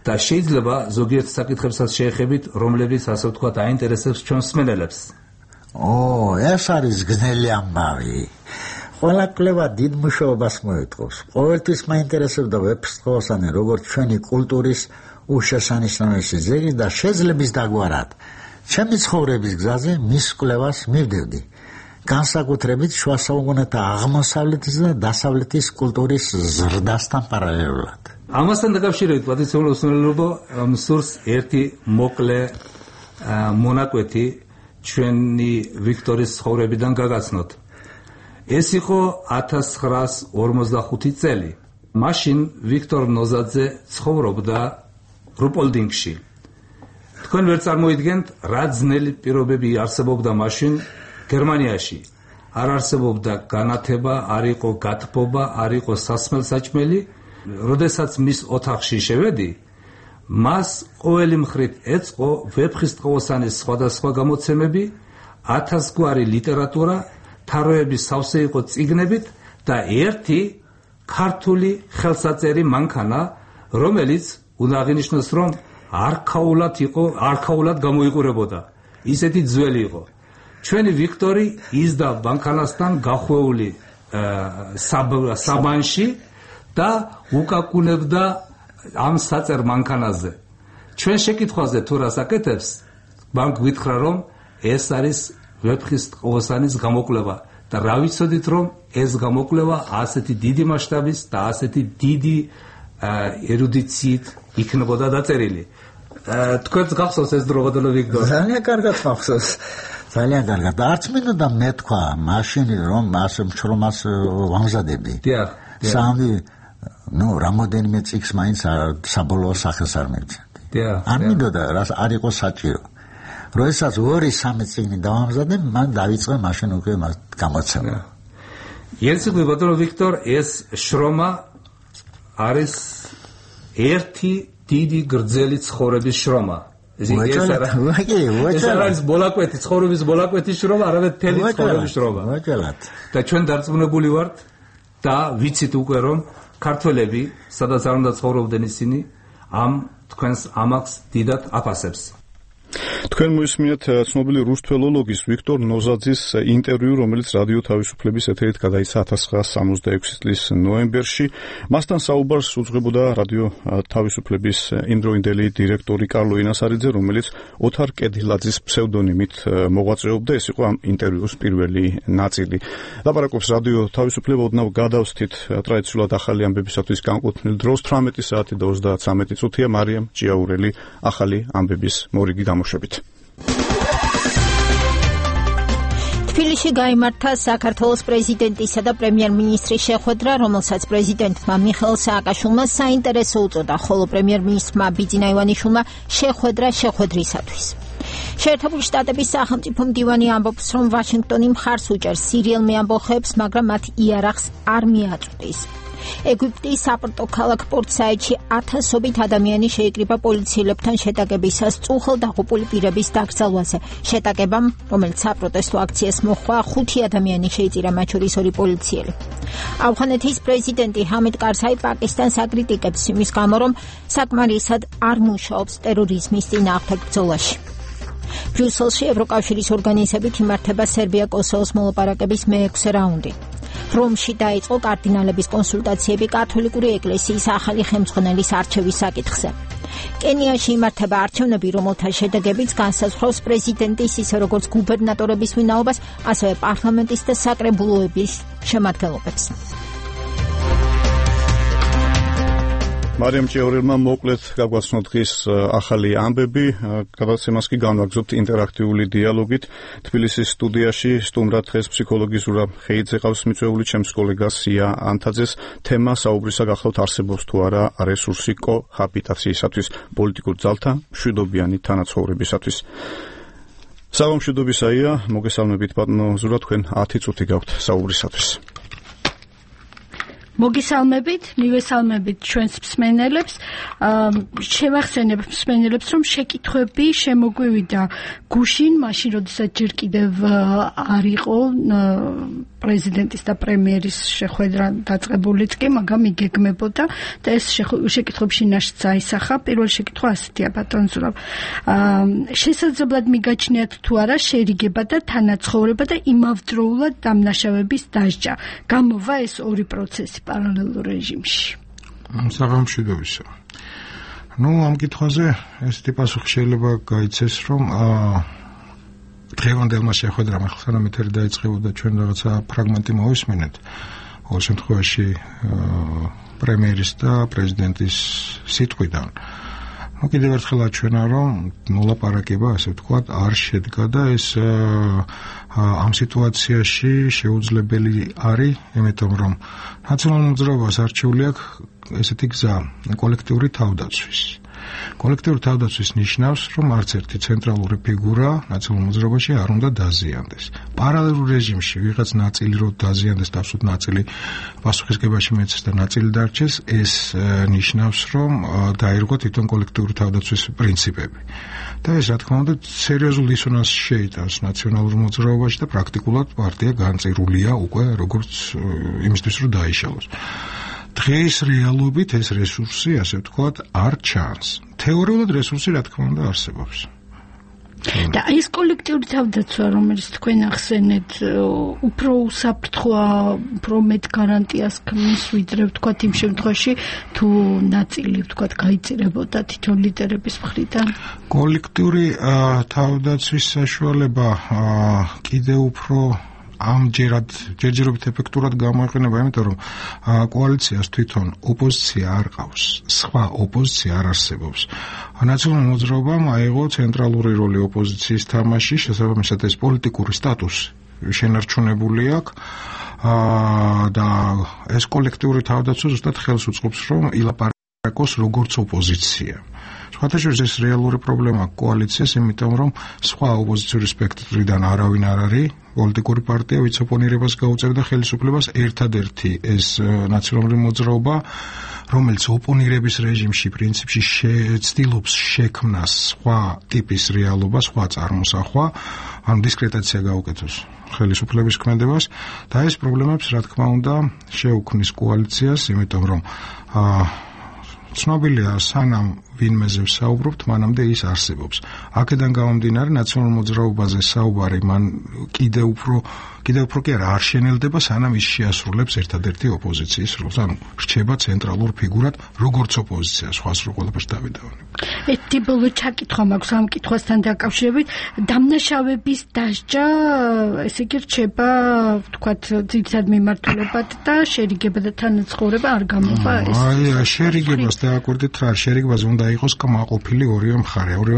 და შეიძლება ზოგიერთ საკითხებსაც შეეხებით, რომლებიც ასე ვთქვათ აინტერესებს ჩვენ მსმენელებს. ეს არის გზნელი ამბავი. ყველა კვლევა დიდ მუშაობას მოეთხოვს. ყოველთვის მაინტერესებდა ვეფხისტყაოსანი როგორც ჩვენი კულტურის უშესანიშნავესი ძეგლი და შეძლების დაგვარად. ჩემი ცხოვრების გზაზე მის კვლევას მივდევდი. განსაკუთრებით შუა საუკუნეთა აღმოსავლეთის და დასავლეთის კულტურის ზრდასთან პარალელურად. ამასთან დაკავშირებით პატრიციულ უსმენელობო მსურს ერთი მოკლე მონაკვეთი ჩვენი ვიქტორის ცხოვრებიდან გაგაცნოთ. ეს იყო 1945 წელი. მაშინ ვიქტორ ნოზაძე ცხოვრობდა რუპოლდინგში. თქვენ ვერ წარმოიდგენთ რა ძნელი პირობები არსებობდა მაშინ გერმანიაში. არ არსებობდა განათება, არ იყო გათბობა, არ იყო სასმელსაჭმელი. როდესაც მის ოთახში შევედი, მას ყოველი მხრით ეწყო ვეფხისტყაოსანის სხვადასხვა გამოცემები, 1000 გვარი ლიტერატურა, თაროები სავსე იყო წიგნებით და ერთი ქართული ხელსაწერი მანქანა, რომელიც უნდა აღინიშნოს, რომ არქაულად გამოიყურებოდა. ისეთი ძველი იყო. ჩვენი ვიქტორი იზდა მანქანასთან გახვეული საბანში და უკაკუნებდა ამ საწერ მანქანაზე. ჩვენ შეკითხვაზე თუ რას აკეთებს, მან გვითხრა, რომ ეს არის ვეფხისტყაოსანის გამოკვლევა და რა ვიცოდით, რომ ეს გამოკვლევა ასეთი დიდი მასშტაბის და ასეთი დიდი ერუდიციით იქნებოდა დაწერილი. თქვენს გახსოვს ეს დროღოდელო ვიქტორ? ძალიან კარგად გახსოვს. ძალიან კარგად. არც მინდოდა მეთქვა მაშინ, რომ ასე მშრომას ვამზადები. დიახ. სამი რამოდენიმე წიგნს მაინც საბოლოო სახელს არ მივცემდი. არ მინდოდა რას არ იყო საჭირო. როდესაც 2-3 წიგნი დავამზადებ, მან დაიწყო მაშინ უკვე გამოცემა. იესები ბატონო ვიქტორ, ეს შრომა არის ერთი დიდი გრძელი ცხოვრების შრომა. ეს არის ბოლაკვეთი, ცხოვრების ბოლაკვეთის შრომა, არამედ მთელი ცხოვრების შრომა. და ჩვენ დარწმუნებული ვართ და ვიცით უკვე, რომ ქართველები, სადაც არ უნდა ცხოვრობდნენ ისინი, ამ თქვენს ამაყს დიდად აფასებს. თქვენ მოისმინეთ ცნობილი რუს თველოლოგის ვიქტორ ნოზაძის ინტერვიუ, რომელიც რადიო თავისუფლების ეთერით გადაიცა 1966 წლის ნოემბერში. მასთან საუბარს უძღვებოდა რადიო თავისუფლების იმდროინდელი დირექტორი კარლო ინასარიძე, რომელიც ოთარ კედილაძის ფსევდონიმით მოღვაწეობდა. ეს იყო ამ ინტერვიუს პირველი ნაწილი. ლაპარაკობს რადიო თავისუფლება, ოდნავ გადავსთით ტრადიციულად ახალი ამბებისათვის განკუთვნილ დროს 18 საათი და 33 წუთია. მარიამ ჭიაურელი ახალი ამბების მორიგი გამოშვებით. თბილისში გაიმართა საქართველოს პრეზიდენტისა და პრემიერ-მინისტრის შეხვედრა, რომელსაც პრეზიდენტმა მიხეილ სააკაშვილმა საინტერესო უწოდა, ხოლო პრემიერ-მინისტრმა ბიძინა ივანიშვილმა შეხვედრა შეხვედრისათვის. შეერთებული შტატების სახელმწიფო მდივანი ამბობს, რომ ვაშინგტონი მხარს უჭერს სირიელ მეამბოხეებს, მაგრამ მათ იარაღს არ მიაწვდის. ეგვიპტის საპორტო ქალაქ პორტსაიდში 1000-ობით ადამიანი შეიკრიბა პოლიციელებთან შეტაკებისას წუხელ დაღუპული პირების დაკრძალვაზე. შეტაკებამ, რომელიც საპროტესტო აქციას მოჰყვა, 5 ადამიანი შეიწირა, მათ შორის 2 პოლიციელი. ავღანეთის პრეზიდენტი ჰამიდ კარზაი პაკისტანს აკრიტიკებს იმის გამო, რომ საკმარისად არ მუშაობს ტერორიზმის წინააღმდეგ ბრძოლაში. ბრიუსელში ევროკავშირის ორგანიზებით იმართება სერბია-კოსოვოს მოლაპარაკების მე-6 რაუნდი. რომში დაიწყო კარდინალების კონსულტაციები კათოლიკური ეკლესიის ახალი ხელმძღვანელის არჩევის საკითხზე. კენიაში იმართება არჩევნები, რომელთა შედეგებიც განსაზღვრავს პრეზიდენტის, ისე როგორც გუბერნატორების ვინაობას, ასევე პარლამენტის და საკრებულოების შემადგენლობებს. მარიამ ჭიაურელმა მოკლედ გაგვაცნო დღის ახალი ამბები, გადაცემას კი განვაგრძობთ ინტერაქტიული დიალოგით. თბილისის სტუდიაში სტუმრად დღეს ფსიქოლოგი ზურაბ ხეიძე ყავს მიწვეული, ჩემს კოლეგას სია ანთაძეს. თემა საუბრისა გახლავთ, არსებობს თუ არა რესურსი კოჰაბიტაციისათვის, პოლიტიკურ ძალთა მშვიდობიანი თანაცხოვრებისათვის. საღამშვიდობისაია, მოგესალმებით ბატონო ზურაბ, თქვენ 10 წუთი გაქვთ საუბრისათვის. მოგესალმებით, მივესალმებით ჩვენს მსმენელებს. შევახსენებ მსმენელებს, რომ შეკითხვები შემოგვივიდა გუშინ, მაშინ როდესაც ჯერ კიდევ არ იყო პრეზიდენტის და პრემიერის შეხვედრა დაწყებულიც კი, მაგრამ იგეგმებოდა და ეს შეკითხვები შინაშიც აისახა. პირველი შეკითხვა ასეთია, ბატონ ზურაბ. შესაძლებლად მიგაჩნიათ თუ არა შერიგება და თანაცხოვრება და იმავდროულად დამნაშავების დასჯა. გამოვა ეს ორი პროცესი პარალელურ რეჟიმში. საღამოშიდობისა. ამ კითხვაზე ესეთი პასუხი შეიძლება გაიცეს, რომ დღევანდელმა შეხვედრამ ახლა სანამ ეთერი დაიწყებოდა ჩვენ რაღაცა ფრაგმენტი მოვისმინეთ. ყოველ შემთხვევაში პრემიერის და პრეზიდენტის სიტყვიდან. კიდევ ერთხელ აჩვენა, რომ მოლაპარაკება, ასე ვთქვათ, არ შედგა და ეს ამ სიტუაციაში შეუძლებელი არის, იმიტომ რომ ნაციონალურ მოძრაობას არჩეული აქვს ესეთი გზა, კოლექტიური თავდაცვის. კოლექტიური თავდაცვის ნიშნავს, რომ არც ერთი ცენტრალური ფიგურა ნაციონალურ მოძრაობაში არ უნდა დაზიანდეს. პარალელურ რეჟიმში ვიღაც ნაწილი რო დაზიანდეს, თავსოთ ნაწილი პასუხისგებაში მეცეს და ნაწილი დარჩეს, ეს ნიშნავს, რომ დაირღვა თვითონ კოლექტიური თავდაცვის პრინციპები. და ეს, რა თქმა უნდა, სერიოზულ დისონანსს შეიტანს ნაციონალურ მოძრაობაში და პრაქტიკულად პარტია განწირულია უკვე როგორც იმისთვის, რომ დაიშალოს. დღეს რეალობით ეს რესურსი, ასე ვთქვათ, არ ჩანს. თეორიულად რესურსი, რა თქმა უნდა, არსებობს. და ეს კოლექტიური თავდაცვა, რომელიც თქვენ ახსენეთ, უფრო უსაფრთხოა, უფრო მეტ გარანტიას ქმნის, ვიდრე ვთქვათ იმ შემთხვევაში, თუ ნაწილი, ვთქვათ, გაიწირებოდა თითოეულ ლიდერების მხრიდან. კოლექტიური თავდაცვის საშუალება კიდევ უფრო ჯერჯერობით ეფექტურად გამოიყენება, იმიტომ რომ კოალიციას თვითონ ოპოზიცია არ ყავს, სხვა ოპოზიცია არ არსებობს. ნაციონალურ მოძრაობამ აიღო ცენტრალური როლი ოპოზიციის თამაში, შესაბამისად ეს პოლიტიკური სტატუსი შენარჩუნებული აქვს და ეს კოლექტიური თავდაცვა ზუსტად ხელს უწყობს, რომ ილაპარაკოს როგორც ოპოზიცია. სხვათაშორის ეს რეალური პრობლემა კოალიციას, იმიტომ რომ სხვა ოპოზიციური სპექტრიდან არავინ არ არის პოლიტიკური პარტია, ვინც ოპონირებას გაუწევდა ხელისუფლებას, ერთადერთი ეს ნაციონალური მოძრაობა, რომელიც ოპონირების რეჟიმში პრინციპში ცდილობს შექმნას სხვა ტიპის რეალობა, სხვა წარმოსახვა, ან დისკრეტაცია გაუკეთოს ხელისუფლების ქმედებას და ეს პრობლემებს, რა თქმა უნდა, შეუქმნის კოალიციას, იმიტომ რომ ცნობილია, სანამ ვინმეზე ვსაუბრობთ, მანამდე ის არსებობს. აქედან გამომდინარე, ნაციონალურ მოძრაობაზე საუბარი მან კიდევ უფრო კი არ შენელდება, სანამ ის შეასრულებს ერთადერთი ოპოზიციის როლს, ანუ რჩება ცენტრალურ ფიგურად, როგორც ოპოზიცია, სხვა სულ ყველაფერს დავიდავანებ. ერთი ბოლო ჩაკითხვა მაქვს ამ კითხვასთან დაკავშირებით, დამნაშავების დასჯა, ესე იგი რჩება, ვთქვათ, ძირითად მიმართულებად და შერიგება და თანაცხოვრება არ გამოვა ეს. შერიგებას დააკვირდით რა, შერიგებაზე უნდა იყოს კმაყოფილი ორივე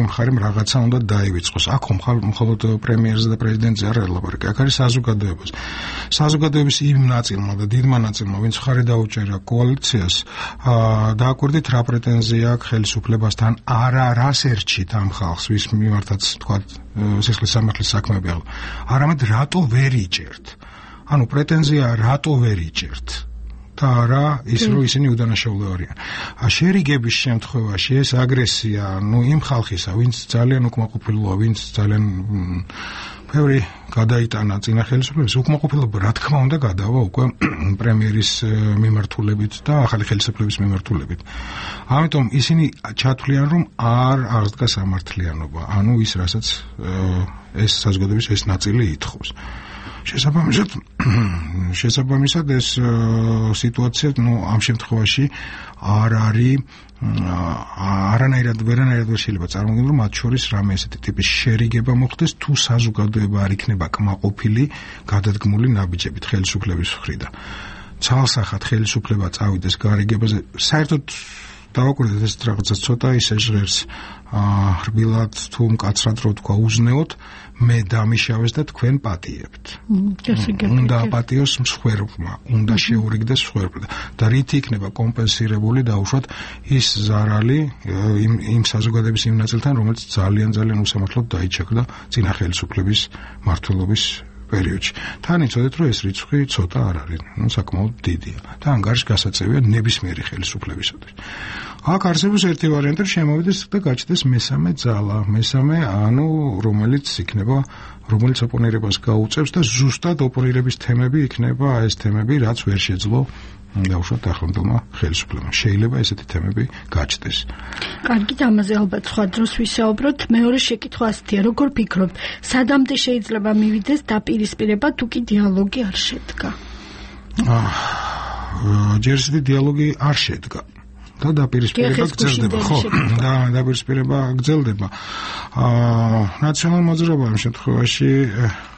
მხარემ რაღაცა უნდა დაივიწყოს. აქ მხოლოდ პრემიერზე და პრეზიდენტზე არ ელაპარაკი, აქ არის საზოგადოების იმ ნაწილმა და დიდმა ნაწილმა, ვინც მხარი დაუჭერა კოალიციას, დააკვირდით რა პრეტენზია აქვს ხელისუფლებასთან, რას ერჩით ამ ხალხს, ვის მიმართაც თქვათ სისხლის სამართლის საქმეები, არამედ რატო ვერ იჭერთ. ანუ პრეტენზია რატო ვერ იჭერთ. და არა ის, რომ ისინი უდანაშაულო არიან. შერიგების შემთხვევაში ეს აგრესია, იმ ხალხისა, ვინც ძალიან უკმაყოფილოა, ვინც ძალიან ბევრი გადაიტანა წინა ხელისუფლების, უკმაყოფილება რა თქმა უნდა გადავა უკვე პრემიერის მიმართულებით და ახალი ხელისუფლების მიმართულებით. ამიტომ ისინი ჩათვლიან, რომ არ აღდგა სამართლიანობა, ანუ ის, რასაც ეს საზოგადოების ეს ნაწილი ითხოვს. შესაბამისად ეს სიტუაცია ამ შემთხვევაში არ არის არანაირად ვერ შეიძლება წარმოგიდგენთ, რომ მათ შორის რამე ესეთი ტიპის შერიგება მოხდეს, თუ საზოგადოება არ იქნება კმაყოფილი გადადგმული ნაბიჯებით ხელისუფლების მხრიდან. ცალსახად ხელისუფლება წავიდეს გარიგებაზე, საერთოდ დავაკვირდეთ ეს რაღაცა ცოტა ისე ჟღერს რბილად თუ მკაცრად რო თქვა უზნეოთ, მე დამიშავეს და თქვენ პატიებთ. უნდა აპატიოს მსხვერპლმა, უნდა შეურიგდეს მსხვერპლმა და რითი იქნება კომპენსირებული დაუშვათ ის ზარალი იმ საზოგადოების იმ ნაწილთან, რომელიც ძალიან უსამართლოდ დაიჩაგდა წინა ხელისუფლების მმართველობის პერიოდში. თან იცოდეთ, რომ ეს რიცხვი ცოტა არ არის, საკმაოდ დიდია და ანგარიში გასაწევია ნებისმიერი ხელისუფლებისათვის. აქ არსებობს ერთი ვარიანტი, შემოვიდეს და გაჩნდეს მესამე ძალა, რომელიც იქნება, რომელიც ოპონირებას გაუწევს და ზუსტად ოპონირების თემები იქნება ეს თემები, რაც ვერ შეძლო დაუშვათ ახლანდელმა ხელისუფლებამ. შეიძლება ესეთი თემები გაჩნდეს. კარგი, ამაზე ალბათ სხვა დროს ვისაუბროთ. მეორე შეკითხვა ასეთია, როგორ ფიქრობთ, სადამდე შეიძლება მივიდეს დაპირისპირება, თუ კი დიალოგი არ შედგა? ჯერ ისეთი დიალოგი არ შედგა. და დაპირისპირება გრძელდება, ხო? და დაპირისპირება გრძელდება. ნაციონალურ მოძრაობა ამ შემთხვევაში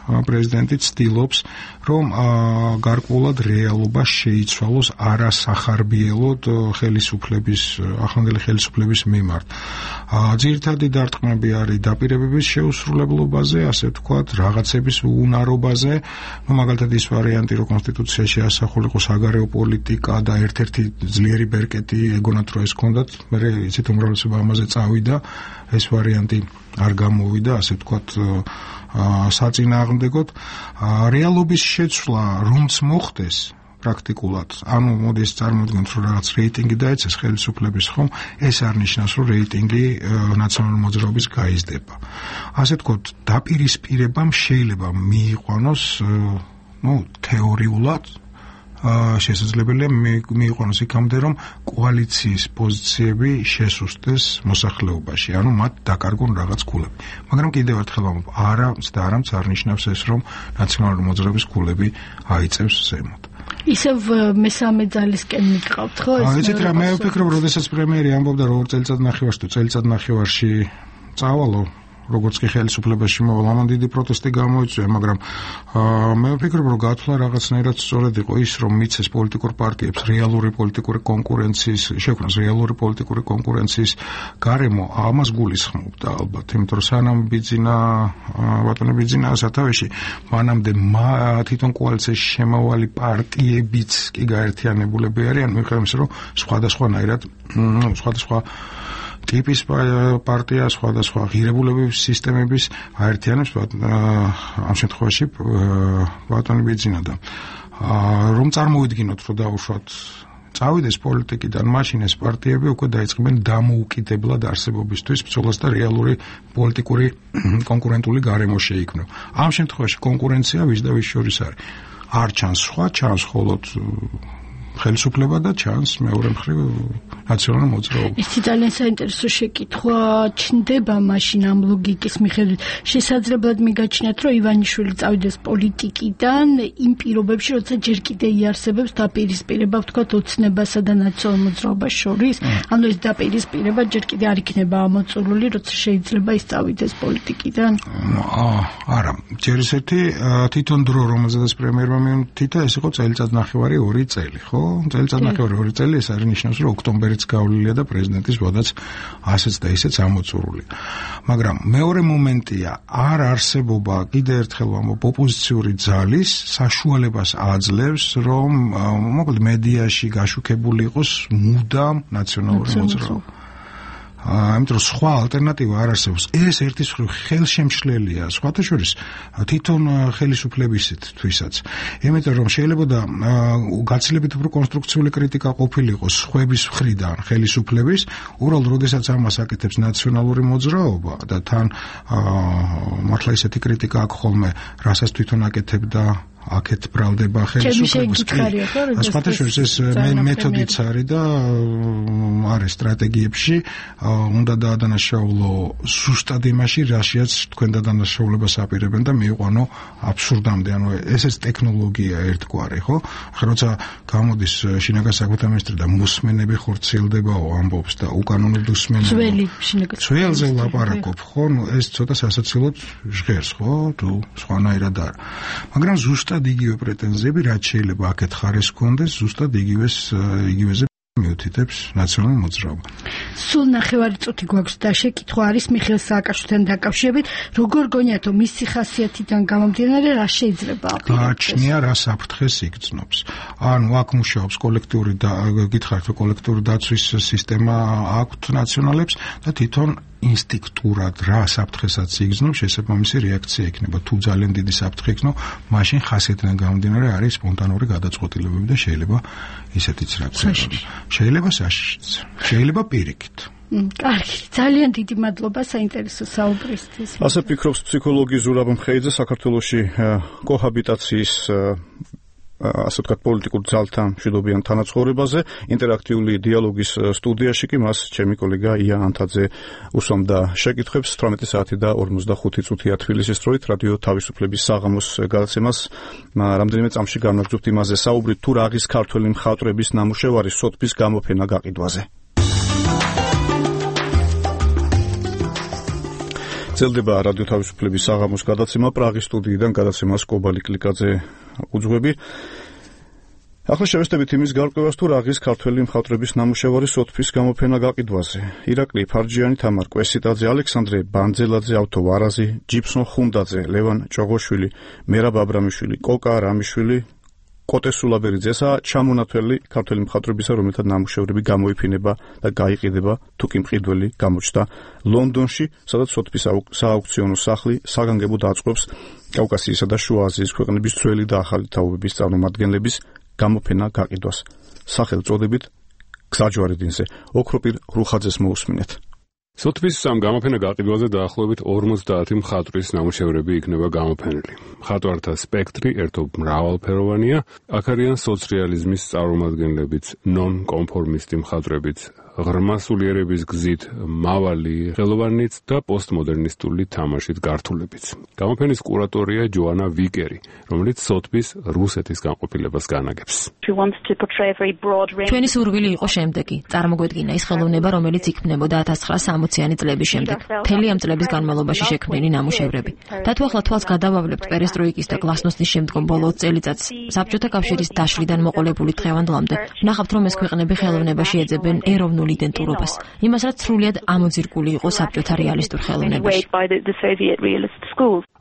პრეზიდენტი ცდილობს, რომ გარკვეულად რეალობა შეიცვალოს არასახარბიელოდ ახლანდელი ხელისუფლების მიმართ. ძირითადი დარტყმები არის დაპირებების შეუსრულებლობაზე, ასე ვთქვათ, რაღაცების უნარობაზე, მაგალითად ის ვარიანტი, რომ კონსტიტუციაში ასახულიყო საგარეო პოლიტიკა და ერთ-ერთი ძლიერი ბერკეტი ეგონათ, რომ ეს ჰქონდათ, მე იცით უმრავლესობა ამაზე წავიდა, ეს ვარიანტი არ გამოვიდა, ასე ვთქვათ, საწინააღმდეგოდ. რეალობის შეცვლა რომც მოხდეს პრაქტიკულად, მოდი წარმოიდგინოთ, რომ რაღაც რეიტინგი დაეცეს ხელისუფლების, ხომ? ეს არ ნიშნავს, რომ რეიტინგი ნაციონალური მოძრაობის გაიზრდება. ასე ვთქვათ, დაპირისპირებამ შეიძლება მიიყვანოს, თეორიულად შესაძლებელია მიიყვანოს იქამდე, რომ კოალიციის პოზიციები შესუსტდეს მოსახლეობაში, მათ დაკარგონ რაღაც ქულები. მაგრამ კიდევ ერთხელ ვამბობ, არამც არ ნიშნავს ეს, რომ ნაციონალური მოძრაობის ქულები აიწევს ზემოთ. ისევ მესამე ძალისკენ მიყავთ, ხო? იცით რა, მე ვფიქრობ, როდესაც პრემიერი ამბობდა, რომ წელიწადნახევარში წავალო, როგორც კი ხელისუფლებაში მოვალ, ამან დიდი პროტესტი გამოიწვია, მაგრამ მე ვფიქრობ, რომ გათვლა რაღაცნაირად სწორად იყო ის, რომ მიცეს პოლიტიკურ პარტიებს რეალური პოლიტიკური კონკურენციის გარემო, ამას გულისხმობდა ალბათ, იმიტომ რომ სანამ ბატონი ბიძინა სათავეში, მანამდე თვითონ კოალიციაში შემავალი პარტიებიც კი გაერთიანებულები არიან, მიუხედავად იმისა, რომ სხვადასხვა ტიპის პარტია, სხვადასხვა ღირებულების სისტემების აერთიანებს ამ შემთხვევაში ბატონი ბიძინა და რომ წარმოვიდგინოთ, რომ დაუშვათ წავიდეს პოლიტიკიდან, მაშინ ეს პარტიები უკვე დაიწყებენ დამოუკიდებლად არსებობისთვის ბრძოლას და რეალური პოლიტიკური კონკურენტული გარემო შეიქმნება. ამ შემთხვევაში კონკურენცია ვის და ვის შორის არის. არ ჩანს სხვა, ჩანს მხოლოდ ხელისუფლება და ჩანს მეორე მხრივ ნაციონალური მოძრაობა. ეს ძალიან საინტერესო შეკითხვა ჩნდება მაშინ ამ ლოგიკის მიხედვით. შესაძლებლად მიგაჩნიათ, რომ ივანიშვილი წავიდეს პოლიტიკიდან იმ პირობებში, როცა ჯერ კიდე იარსებებს დაპირისპირება, ვთქვათ, ოცნებასა და ნაციონალურ მოძრაობას შორის. ანუ ეს დაპირისპირება ჯერ კიდე არ იქნება ამოწურული, როცა შეიძლება ის წავიდეს პოლიტიკიდან. არა, ჯერ ისეთი თვითონ დრო, რომელზედაც პრემიერმა მიუთითა, ეს იყო წელიწადნახევარი 2 წელი, ხო? წელიწადნახევარი 2 წელი, ეს არის ნიშნავს, რომ ოქტომბერიც გავლილია და პრეზიდენტის ვადაც ასეც და ისეც ამოწურულია. მაგრამ მეორე მომენტია, არ არსებობა, კიდე ერთხელ ვამბობ, ოპოზიციური ძალის საშუალებას აძლევს, რომ მოკლედ მედიაში გაშუქებული იყოს მუდამ ნაციონალური მოძრაობა. ამიტომ სხვა ალტერნატივა არ არსებობს. ეს ერთის მხრივ ხელშემშლელია, სხვათა შორის თვითონ ხელისუფლებისთვისაც. იმიტომ რომ შეიძლება და გაცილებით უფრო კონსტრუქციული კრიტიკა ყოფილიყო სხვების მხრიდან ხელისუფლების, უბრალოდ როდესაც ამას აკეთებს ნაციონალური მოძრაობა და თან მართლა ისეთი კრიტიკა აქვს ხოლმე, რასაც თვითონ აკეთებდა აქეთ ბრალდება ხელისუფლებას. სხვათა შორის ეს მეთოდიც არის და არის სტრატეგიებში, უნდა დაადანაშაულო ზუსტად იმაში, რაშიაც თქვენ დადანაშაულებას აპირებენ და მიიყვანო აბსურდამდე. ანუ ეს ტექნოლოგია ერთგვარი, ხო? ახლა როცა გამოდის შინაგან საქმეთა მინისტრი და მოსმენები ხორციელდებაო ამბობს და უკანონოდ უსმენებო. ძველზე ლაპარაკობ, ხო? ეს ცოტა სასაცილოდ ჟღერს, ხო? თუ სხვანაირად არა. მაგრამ ზუსტად იგივე პრეტენზიები, რაც შეიძლება აქეთ ხარეს ჰქონდეს, ზუსტად იგივეზე მიუთითებს ნაციონალური მოძრაობა. სულ ნახევარი წუთი გვაქვს და შეკითხვა არის მიხეილ სააკაშვილთან დაკავშირებით, როგორ გონიათ რომ მისი ხასიათიდან გამომდინარე რა შეიძლება გააჩნია რა საფრთხეს იგრძნობს. ანუ აქ მუშაობს კოლექტიური და გითხარით რომ კოლექტიური დაცვის სისტემა აქვთ ნაციონალებს და თვითონ ინსტინქტურად რა საფრთხესაც იგრძნობს, შესაბამისი რეაქცია იქნება. თუ ძალიან დიდი საფრთხე იქნება, მაშინ ხასიათიდან გამომდინარე არის სპონტანური გადაწყვეტილებები და შეიძლება ისეთიც რა ქვია. შეიძლება საშიშიც, შეიძლება პირიქით. კარგი, ძალიან დიდი მადლობა საინტერესო საუბრისთვის. ასე ფიქრობს ფსიქოლოგი ზურაბ მხეიძე საქართველოში კოჰაბიტაციის ასე ვთქვათ პოლიტიკურ ძალთან მშვიდობიან თანაცხოვრებაზე. ინტერაქტიული დიალოგის სტუდიაში კი მას ჩემი კოლეგა ია ანთაძე უსვამდა შეკითხვებს. 18 საათი და 45 წუთია თბილისის დროით რადიო თავისუფლების საღამოს გადაცემას რამდენიმე წამში განვაგრძობთ იმაზე საუბრით, თუ რა არის ქართველი მხატვრების ნამუშევარი სოთბის გამოფენა გაყიდვაზე. წელდება რადიო თავისუფლების საღამოს გადაცემა პრაღის სტუდიიდან გადაცემას კობალი კლიკაძე უძღვები. ახლა შევესწრებით იმის გარკვევას, თუ რა არის ქართველი მხატვრების ნამუშევარი სოთბის გამოფენა გაყიდვაზე. ირაკლი ფარჯიანი, თამარ კვესიტაძე, ალექსანდრე ბანძელაძე, ავთო ვარაზი, ჯიფსონ ხუნდაძე, ლევან ჭოღოშვილი, მერაბ აბრამიშვილი, კოკა რამიშვილი, კოტე სულაბერიძესა ჩამონათველი ქართველი მხატვრებისა, რომელთა ნამუშევრები გამოიფინება და გაიყიდება, თუ კი მყიდველი გამოჩნდა ლონდონში, სადაც სოთბის სააუქციონო სახლი საგანგებოდ აწყობს კავკასიისა და შუა აზიის ქვეყნების ძველი და ახალი თაობების წარმომადგენლების გამოფენა გაყიდვას. სახელწოდებით გზაჯვარედინზე ოქროპირ რუხაძეს მოусმინეთ. სოთბის გამოფენა გაყიდვაზე დაახლოებით 50 მხატვრის ნამუშევრები იქნება გამოფენილი. მხატვართა სპექტრი ერთობ მრავალფეროვანია. აქ არიან სოციალიზმის წარმომადგენლებიც, ნონ-კონფორმისტი მხატვრებიც, ღრმა სულიერების გზით მავალი ხელოვანიც და პოსტმოდერნისტული თამაშით გართულებიც. გამოფენის კურატორია ჯოანა ვიკერი, რომელიც სოთბის რუსეთის განყოფილებას განაგებს. ჩვენი სურვილი იყო შემდეგი: წარმოგვედგინა ის ხელოვნება, რომელიც იქმნებოდა 1960-იანი წლების შემდეგ, მთელი ამ წლების განმავლობაში შექმნილი ნამუშევრები. და თუ ახლა თვალს გადავავლებთ პერესტროიკის და გლასნოსნის შემდგომ ბოლო წელიწადს, საბჭოთა კავშირის დაშლიდან მოყოლებული დღევანდლამდე, ვნახავთ, რომ ეს ქვეყნები ხელოვნებაში ეძებენ ეროვნულ იდენტურობას, იმას რაც სრულიად ამოძირკული იყო საბჭოთა რეალისტურ ხელოვნებაში.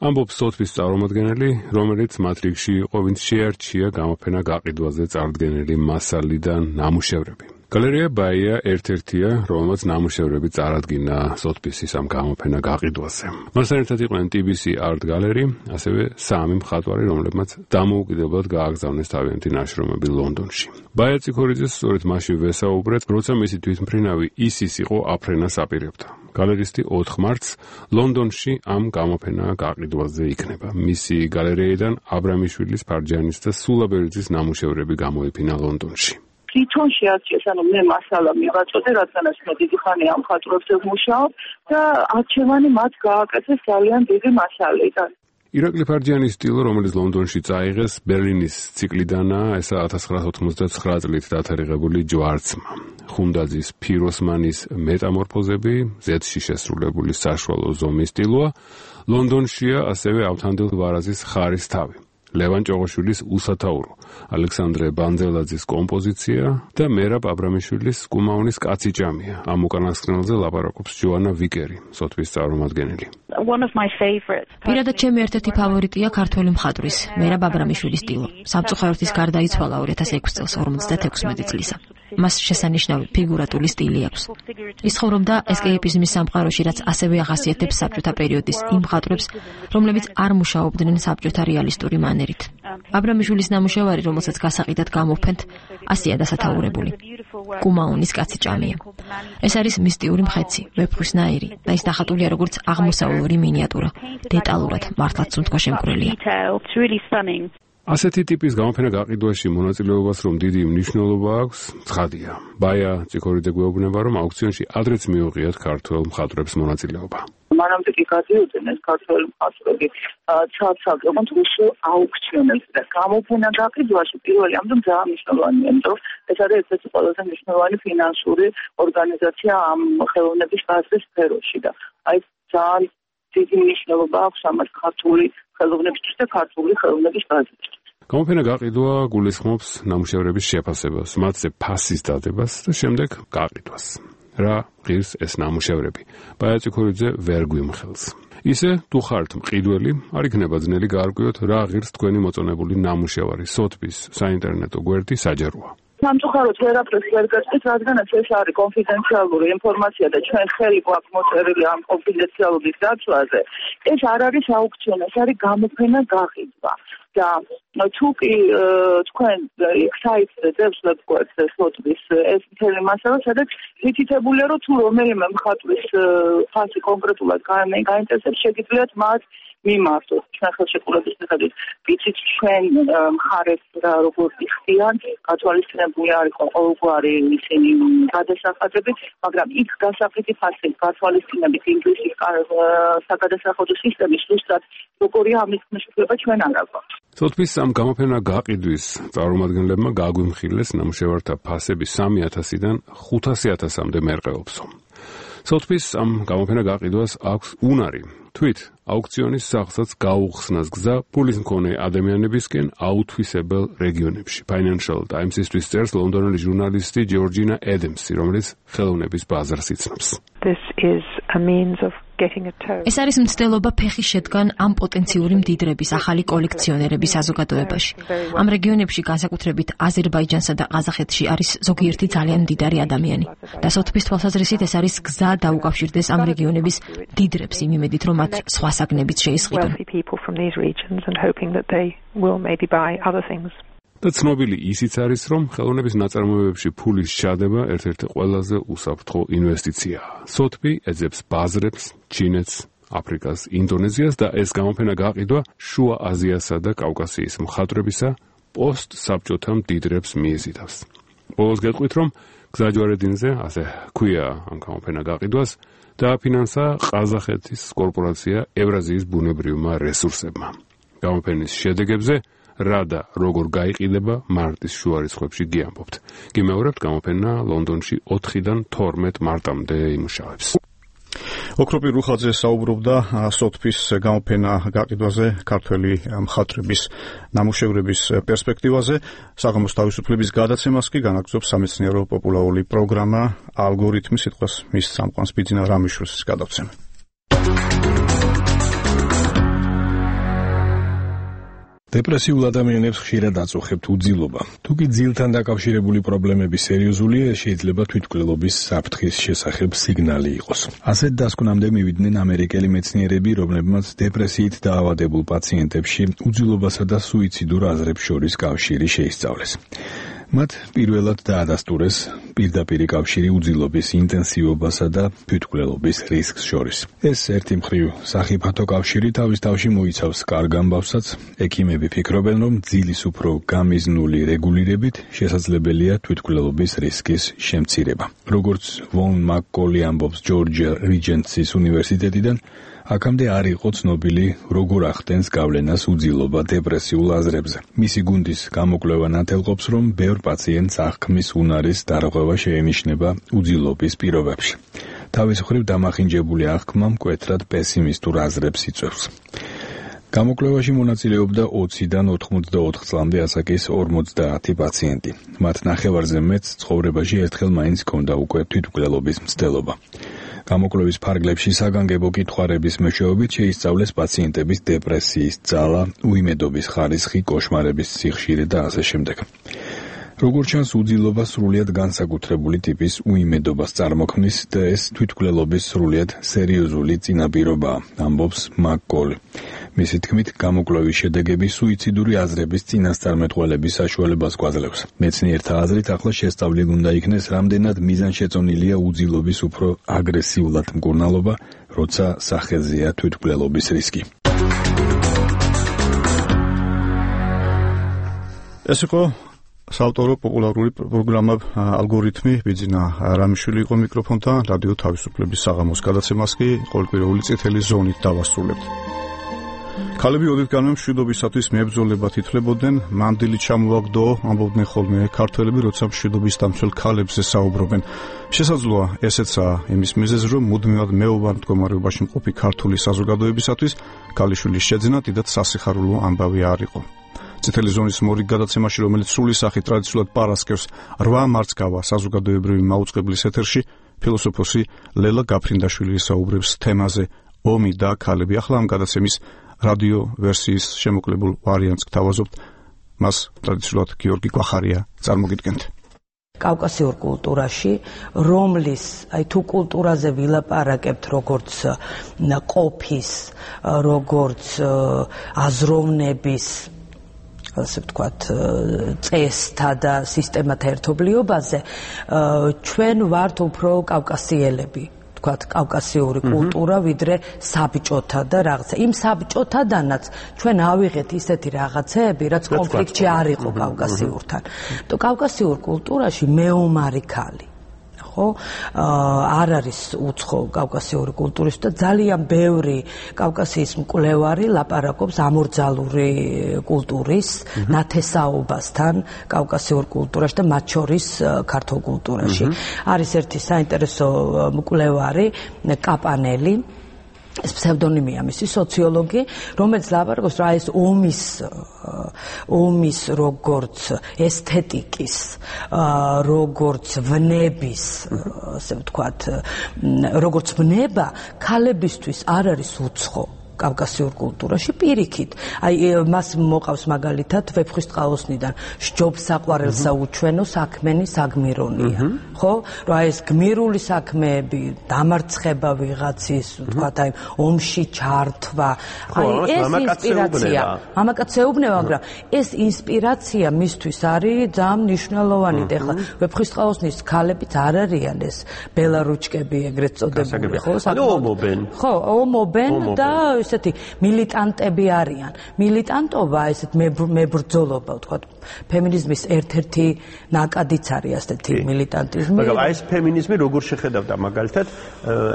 ამბობს სოთბის წარმომადგენელი, რომელიც მათ რიგში იყო, ვინც შეარჩია გამოფენა გაყიდვაზე წარდგენილი მასალი და ნამუშევრები. გალერეა ბაია ერთ-ერთია, რომელმაც ნამუშევრები წარადგინა სოთბის ამ გამოფენა გაყიდვაზე. მასთან ერთად იყვნენ TBC Art Gallery, ასევე სამი მხატვარი, რომლებმაც დამოუკიდებლად გააგზავნეს თავიანთი ნაშრომები ლონდონში. ბაია ციქორიძეს სწორედ მაშინ ვესაუბრეთ, როცა მისი თვითმფრინავი ისის იყო აფრენას აპირებდა. გალერისტი 4 მარტს ლონდონში ამ გამოფენა გაყიდვაზე იქნება. მისი გალერეიდან აბრამიშვილის, ფარჯანის და სულაბერიძის ნამუშევრები გამოიფინა ლონდონში. თვითონ შეარჩიეს, ანუ მე მასალა მივაწოდე, რადგანაც მე დიდი ხანი ამ მხატვრებზე ვმუშაობ და არჩევანი მათ გააკეთეს ძალიან დიდი მასალიდან. ირაკლი ფარჯიანის სტილი, რომელიც ლონდონში წაიღეს, ბერლინის ციკლიდანაა, ესა 1989 წლით დათარიღებული ჯვარცმა. ხუნდაძის ფიროსმანის მეტამორფოზები, ზეთში შესრულებული საშუალო ზომის სტილოა, ლონდონშია ასევე ავთანდილ ვარაზის ხარის თავი. ლევან ჭოღოშვილის უსათაურო, ალექსანდრე ბანძელაძის კომპოზიცია და მერაბ აბრამიშვილის კუმაუნის კაცი ჭამია. ამ უკანასკნელზე ლაპარაკობს ჯოანა ვიკერი, სოთბის წარმომადგენელი. პირადად ჩემი ერთ-ერთი ფავორიტია ქართველი მხატვრის, მერაბ აბრამიშვილის სტილო. საბჭოთა გარდა იცვალა 2006 წელს 56 წლისა. მას შესანიშნავი ფიგურატული სტილი აქვს. ის ცხოვრობდა ესკეიპიზმის სამყაროში, რაც ასევე ახასიათებს საბჭოთა პერიოდის იმ მხატვრებს, რომლებიც არ მუშაობდნენ საბჭოთა რეალისტური მანერით. აბრამიშვილის ნამუშევარი, რომელსაც გასაყიდად გამოვფენთ, ასია დასათაურებული. კუმაუნის კაცი ჭამია. ეს არის მისტიური მხეცი, ვეფხვისნაირი და ის დახატულია როგორც აღმოსავლური მინიატურა, დეტალურად მართლაც სუნთქვა-შემკვრელია. ასეთი ტიპის გამოფენა გაყიდვაში მონაწილეობას რომ დიდი მნიშვნელობა აქვს, ცხადია. ბაია ციქორიძე გვეუბნება, რომ აუქციონში ადრეც მიუღიათ ქართველ მხატვრებს მონაწილეობა. მანამდე კი გადიოდნენ ეს ქართველი მხატვრები ცალ-ცალკე რუსულ აუქციონებზე და გამოფენა გაყიდვაში პირველი ამიტომ ძალიან მნიშვნელოვანია, იმიტომ რომ ეს არის ერთ-ერთი ყველაზე მნიშვნელოვანი ფინანსური ორგანიზაცია ამ ხელოვნების გაზრდის სფეროში და აი ძალიან დიდი მნიშვნელობა აქვს ამას ქართული ხელოვნებისთვის და ქართული ხელოვნების გაზრდისთვის. გამოფენა გაყიდვა გულისხმობს ნამუშევრების შეფასებას, მათზე ფასის დადებას და შემდეგ გაყიდვას. რა ღირს ეს ნამუშევრები. ბაიაჭი ქორიძე ვერ გვიმხელს. ისე თუ ხართ მყიდველი, არ იქნება ძნელი გაარკვიოთ რა ღირს თქვენი მოწონებული ნამუშევარი. სოთბის საინტერნეტო გვერდი საჯაროა. სამწუხაროდ ვერაფერს ვერ გაწყვეტ, რადგანაც ეს არის კონფიდენციალური ინფორმაცია და ჩვენ ხელი გვაქვს მოწერილი ამ კონფიდენციალობის დაცვაზე. ეს არ არის აუქციონი, ეს არის გამოფენა გაყიდვა. და თუ კი თქვენ საიტზე დევს ვებგვერდზე სოთბის ეს მთელი მასალა, სადაც მითითებულია, რომ თუ რომელიმე მხატვრის ფასი კონკრეტულად გაინტერესებს, შეგიძლიათ მათ მიმართოთ ჩვენ ხელშეკრულების მიხედვით. ვიცით ჩვენ მხარეს როგორ იხდიან, გათვალისწინებული არ იყო ყოველგვარი ისინი გადასახადები, მაგრამ იქ გასაფრთხი ფასი გათვალისწინებით ინგლისის საგადასახადო სისტემის ზუსტად როგორია ამის მნიშვნელობა ჩვენ არ აგვაქვს. სოთბის ამ გამოფენა გაყიდვის წარმომადგენლებმა გაგვიმხილეს ნამუშევართა ფასები 3,000-დან 500,000-მდე მერყეობსო. სოთბის ამ გამოფენა გაყიდვას აქვს უნარი. თვით აუქციონის სახლსაც გაუხსნას გზა ფულის მქონე ადამიანებისკენ აუთვისებელ რეგიონებში. Financial Times-ისთვის წერს ლონდონელი ჟურნალისტი ჯორჯინა ედემსი, რომელიც ხელოვნების ბაზარს იცნობს. ეს არის მცდელობა ფეხის შედგან ამ პოტენციური მდიდრების ახალი კოლექციონერების საზოგადოებაში. ამ რეგიონებში განსაკუთრებით აზერბაიჯანსა და ყაზახეთში არის ზოგიერთი ძალიან მდიდარი ადამიანი. და სოთბის თვალსაზრისით ეს არის გზა დაუკავშირდეს ამ რეგიონების მდიდრებს იმ იმედით, რომ მათ სხვა საგნებით შეისყიდონ. და ცნობილი ისიც არის, რომ ხელოვნების ნაწარმოებებში ფულის ჩადება ერთ-ერთი ყველაზე უსაფრთხო ინვესტიციაა. სოთბი ეძებს ბაზრებს, ჩინეთს, აფრიკას, ინდონეზიას და ეს გამოფენა გაყიდვა შუა აზიასა და კავკასიის მხატვრებისა პოსტსაბჭოთა მდიდრებს მიიზიდავს. ბოლოს გეტყვით, რომ გზაჯვარედინზე, ასე ქვია ამ გამოფენა გაყიდვას, დააფინანსა ყაზახეთის კორპორაცია ევრაზიის ბუნებრივმა რესურსებმა. გამოფენის შედეგებზე რა და როგორ გაიყიდება მარტის შუა რიცხვებში გიამბობთ. გიმეორებთ, გამოფენა ლონდონში 4-დან 12 მარტამდე იმუშავებს. ოქროპი რუხაძე საუბრობდა სოთბის გამოფენა გაყიდვაზე, ქართველი მხატვრების ნამუშევრების პერსპექტივაზე. საღამოს თავისუფლების გადაცემას კი განაგრძობს სამეცნიერო პოპულარული პროგრამა ალგორითმი. სიტყვას მის წამყვანს ბიძინა რამიშვილს გადავცემ. დეპრესიულ ადამიანებს ხშირად აწუხებთ უძილობა. თუ კი ძილთან დაკავშირებული პრობლემები სერიოზულია, შეიძლება თვითმკვლელობის საფრთხის შესახებ სიგნალი იყოს. ასეთ დასკვნამდე მივიდნენ ამერიკელი მეცნიერები, რომლებმაც დეპრესიით დაავადებულ პაციენტებში უძილობასა და სუიციდურ აზრებს შორის კავშირი შეისწავლეს. მათ პირველად დაადასტურეს პირდაპირი კავშირი უძილობის ინტენსივობასა და თვითმკვლელობის რისკს შორის. ეს ერთი მხრივ სახიფათო კავშირი თავის თავში მოიცავს კარგ ამბავსაც. ექიმები ფიქრობენ, რომ ძილის უფრო გამიზნული რეგულირებით შესაძლებელია თვითმკვლელობის რისკის შემცირება. როგორც ვონ მაკკოლი ამბობს ჯორჯია რიჯენტსის უნივერსიტეტიდან, აქამდე არ იყო ცნობილი, როგორ ახდენს გავლენას უძილობა დეპრესიულ აზრებზე. მისი გუნდის გამოკვლევა ნათელყოფს, რომ ბევრ პაციენტს აღქმის უნარის დარღვევა შეენიშნება უძილობის პირობებში. თავის მხრივ დამახინჯებული აღქმა მკვეთრად პესიმისტურ აზრებს იწვევს. გამოკვლევაში მონაწილეობდა 20-დან 84 წლამდე ასაკის 50 პაციენტი. მათ ნახევარზე მეტს ცხოვრებაში ერთხელ მაინც ჰქონდა უკვე თვითმკვლელობის მცდელობა. გამოკვლევის ფარგლებში საგანგებო კითხვარების მეშვეობით შეისწავლეს პაციენტების დეპრესიის ძალა, უიმედობის ხარისხი, კოშმარების სიხშირე და ასე შემდეგ. როგორც ჩანს, უძილობა სრულიად განსაკუთრებული ტიპის უიმედობას წარმოქმნის და ეს თვითმკვლელობის სრულიად სერიოზული წინაპირობაა, ამბობს მაკკოლი. მისი თქმით, გამოკვლევის შედეგები სუიციდური აზრების წინასწარმეტყველების საშუალებას გვაძლევს. მეცნიერთა აზრით, ახლა შესწავლილი უნდა იქნეს, რამდენად მიზანშეწონილია უძილობის უფრო აგრესიულად მკურნალობა, როცა სახეზეა თვითმკვლელობის რისკი. ეს იყო საავტორო პოპულარული პროგრამა ალგორითმი. ბიძინა რამიშვილი იყო მიკროფონთან. რადიო თავისუფლების საღამოს გადაცემას კი ყოველკვირეული წითელი ზონით დავასრულებთ. ქალები ოდითგანვე მშვიდობისათვის მებრძოლებად ითვლებოდნენ, მანდილი ჩამოაგდო, ამბობდნენ ხოლმე ქართველები, როცა მშვიდობის დამცველ ქალებზე საუბრობენ. შესაძლოა ესეცაა იმის მიზეზი, რომ მუდმივად მეუბარ მდგომარეობაში მყოფი ქართული საზოგადოებისათვის ქალიშვილის შეძენა დიდად სასიხარულო ამბავი არ იყო. წითელი ზონის მორიგ გადაცემაში, რომელიც სრული სახით ტრადიციულად პარასკევს 8 მარts გავა საზოგადოებრივი მაუწყებლის ეთერში, ფილოსოფოსი ლელა გაფრინდაშვილი საუბრებს თემაზე ომი და ქალები. ახლა ამ გადაცემის რადიო ვერსიის შემოკლებულ ვარიანტს გთავაზობთ. მას ტრადიციულად გიორგი გვახარია წარმოგიდგენთ. კავკასიურ კულტურაში, რომლის, თუ კულტურაზე ვილაპარაკებთ, როგორც ყოფის, როგორც აზროვნების, ასე ვთქვათ, წესთა და სისტემათა ერთობლიობაზე, ჩვენ ვართ უფრო კავკასიელები. კავკასიური კულტურა, ვიდრე საბჭოთა და რაღაცა. იმ საბჭოთადანაც ჩვენ ავიღეთ ისეთი რაღაცეები, რაც კონფლიქტში არ იყო კავკასიურთან. კავკასიურ კულტურაში მეომარი ქალი, ხო? არ არის უცხო კავკასიური კულტურის და ძალიან ბევრი კავკასიის მკვლევარი ლაპარაკობს ამორძალური კულტურის ნათესაობასთან კავკასიურ კულტურაში და მათ შორის ქართულ კულტურაში. არის ერთი საინტერესო მკვლევარი კაპანელი, ეს ფსევდონიმია მისი, სოციოლოგი, რომელიც ლაპარაკობს რა ეს ომის როგორც ესთეტიკის, როგორც ვნების, ასე ვთქვათ, როგორც ვნება ქალებისთვის არ არის უცხო კავკასიურ კულტურაში პირიქით. აი მას მოყავს მაგალითად ვეფხვის წყალოსნიდან სჯობს საყვარელსა უჩვენო საქმენი საგმირონია. ხო? რა ეს გმირული საქმეები, დამარცხება ვიღაცის, ვთქვათ, აი ომში ჩართვა. აი ეს ინსპირაცია. მამაკაცეუბნება, მაგრამ ეს ინსპირაცია მისთვის არის ძალიან მნიშვნელოვანი. ეხლა ვეფხვის წყალოსნის ქალებიც არ არიან ეს ბელარუჩკები ეგრეთ წოდებული, ხო? ხო, ომობენ და ესეთი მილიტანტები არიან. მილიტანტობა, ესეთ მებრძოლობა, ვთქვათ, ფემინიზმის ერთ-ერთი ნაკადიც არის ასეთი მილიტანტიზმი. მაგრამ აი ეს ფემინიზმი როგორ შეხედავდა მაგალითად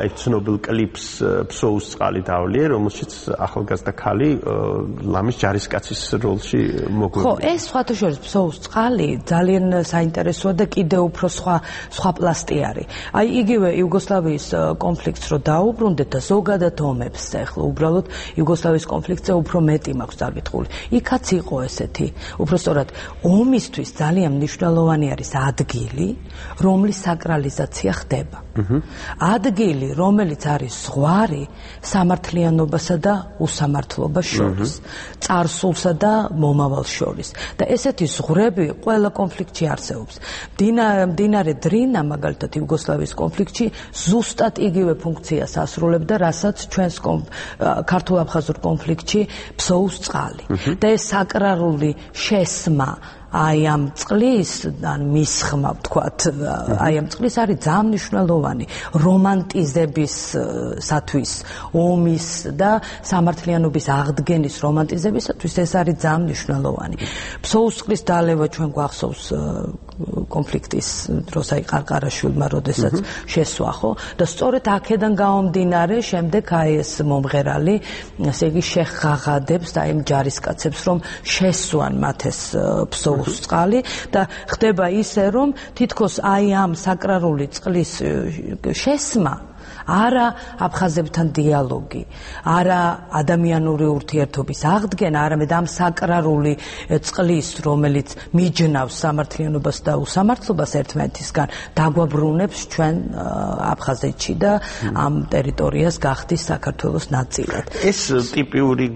აი ცნობილ კლიპს ფსოუს წყალი დავლიე, რომელშიც ახალგაზრდა ქალი ლამის ჯარისკაცის როლში მოგვიყვება. ხო, ეს სხვათა შორის ფსოუს წყალი ძალიან საინტერესოა და კიდევ უფრო სხვა პლასტი არის. აი იგივე იუგოსლავიის კონფლიქტს რო დაუბრუნდეთ და ზოგადად ომებს ახლა უბრალოდ იუგოსლავიის კონფლიქტზე უფრო მეტი მაქვს დაკითხული. იქაც იყო ესეთი, უბრალოდ ომისთვის ძალიან მნიშვნელოვანი არის ადგილი, რომლის საკრალიზაცია ხდება. ადგილი, რომელიც არის ზღვარი სამართლიანობასა და უსამართლობას შორის, წარსულსა და მომავალს შორის. და ესეთი ზღვრები ყველა კონფლიქტში არსებობს. მდინარე დრინა, მაგალითად, იუგოსლავიის კონფლიქტში ზუსტად იგივე ფუნქციას ასრულებდა, რასაც ჩვენს ქართულ-აფხაზურ კონფლიქტში ფსოუს წყალი. და ეს საკრალური შესმა აი ამ წყლის ან მისხმა, ვთქვათ, აი ამ წყლის არის ძალიან მნიშვნელოვანი რომანტიზებისათვის, ომის და სამართლიანობის აღდგენის რომანტიზებისათვის ეს არის ძალიან მნიშვნელოვანი. ფსოუს წყლის დალევა ჩვენ გვახსოვს კონფლიქტის დროს აი ყარყარაშვილმა, როდესაც შესვა, ხო? და სწორედ აქედან გამომდინარე, შემდეგ აი ეს მომღერალი, ესე იგი შეხაღადებს და იმ ჯარისკაცებს, რომ შესვან მათ ეს ფსოუს წყალი და ხდება ისე, რომ თითქოს აი ამ საკრალური წყლის შესმა არა აფხაზებთან დიალოგი, არა ადამიანური ურთიერთობის აღდგენა, არამედ ამ საკრალური წყლის, რომელიც მიჯნავს სამართლიანობას და უსამართლობას ერთმანეთისგან, დაგვაბრუნებს ჩვენ აფხაზეთში და ამ ტერიტორიას გახდის საქართველოს ნაწილად. ეს ტიპიური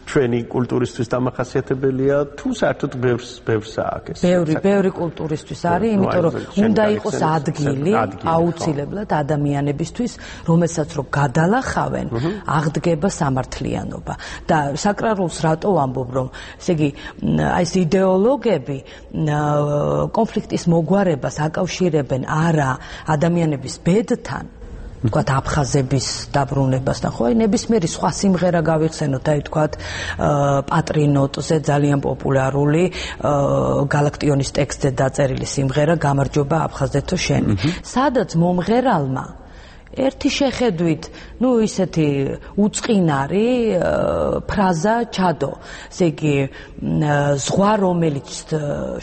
ჩვენი კულტურისთვის დამახასიათებელია, თუ საერთოდ ბევრს აქვს ეს? ბევრი კულტურისთვის არის, იმიტომ რომ უნდა იყოს ადგილი აუცილებლად ადამიანების რომელსაც რო გადალახავენ, აღდგება სამართლიანობა. და საკრარულს რატო ვამბობ, რომ ესე იგი აი ეს იდეოლოგები კონფლიქტის მოგვარებას აკავშირებენ არა ადამიანების ბედთან, ვთქვათ, აფხაზების დაბრუნებასთან, ხო, ნებისმიერი სხვა სიმღერა გავიხსენოთ, აი ვთქვათ, პატრინოტზე ძალიან პოპულარული გალაქტიონის ტექსტზე დაწერილი სიმღერა გამარჯობა აფხაზეთო შენი. სადაც მომღერალმა ერთი შეხედვით, ისეთი უწყინარი ფრაზა ჩადო. ესე იგი, ზღვა, რომელიც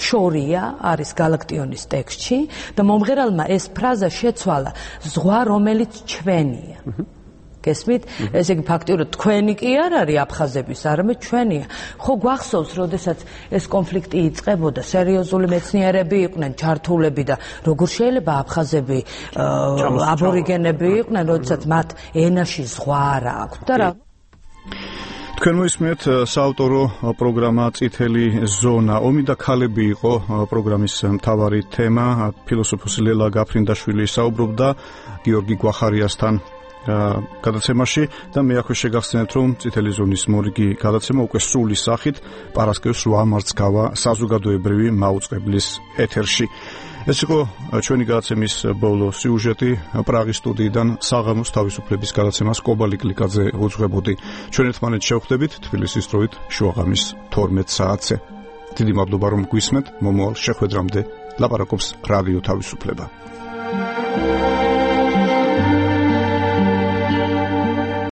შორია, არის გალაქტიონის ტექსტში და მომღერალმა ეს ფრაზა შეცვალა, ზღვა, რომელიც ჩვენია. გესმით? ესე იგი ფაქტიურად თქვენი კი არ არის აფხაზების, არამედ ჩვენია. ხო გვახსოვს, როდესაც ეს კონფლიქტი იწყებოდა, სერიოზული მეცნიერები იყვნენ ჩართულები და როგორ შეიძლება აფხაზები აბორიგენები იყვნენ, როდესაც მათ ენაში ზღვა არ აქვს და რა თქვენ მოისმენთ საავტორო პროგრამა წითელი ზონა. ომი და ქალები იყო პროგრამის მთავარი თემა. ფილოსოფოსი ლელა გაფრინდაშვილი საუბრობდა გიორგი გვახარიასთან გადაცემაში და მე აქვე შეგახსენებთ, რომ წითელი ზონის მორიგი გადაცემა უკვე სრული სახით პარასკევს 8 მარტს გავა საზოგადოებრივი მაუწყებლის ეთერში. ეს იყო ჩვენი გადაცემის ბოლო სიუჟეტი. პრაღის სტუდიიდან საღამოს თავისუფლების გადაცემას კობალი კლიკაძე უძღვებოდი. ჩვენ ერთმანეთს შევხვდებით თბილისის დროით შუაღამის 12 საათზე. დიდი მადლობა რომ გვისმენთ. მომავალ შეხვედრამდე ლაპარაკობს რადიო თავისუფლება.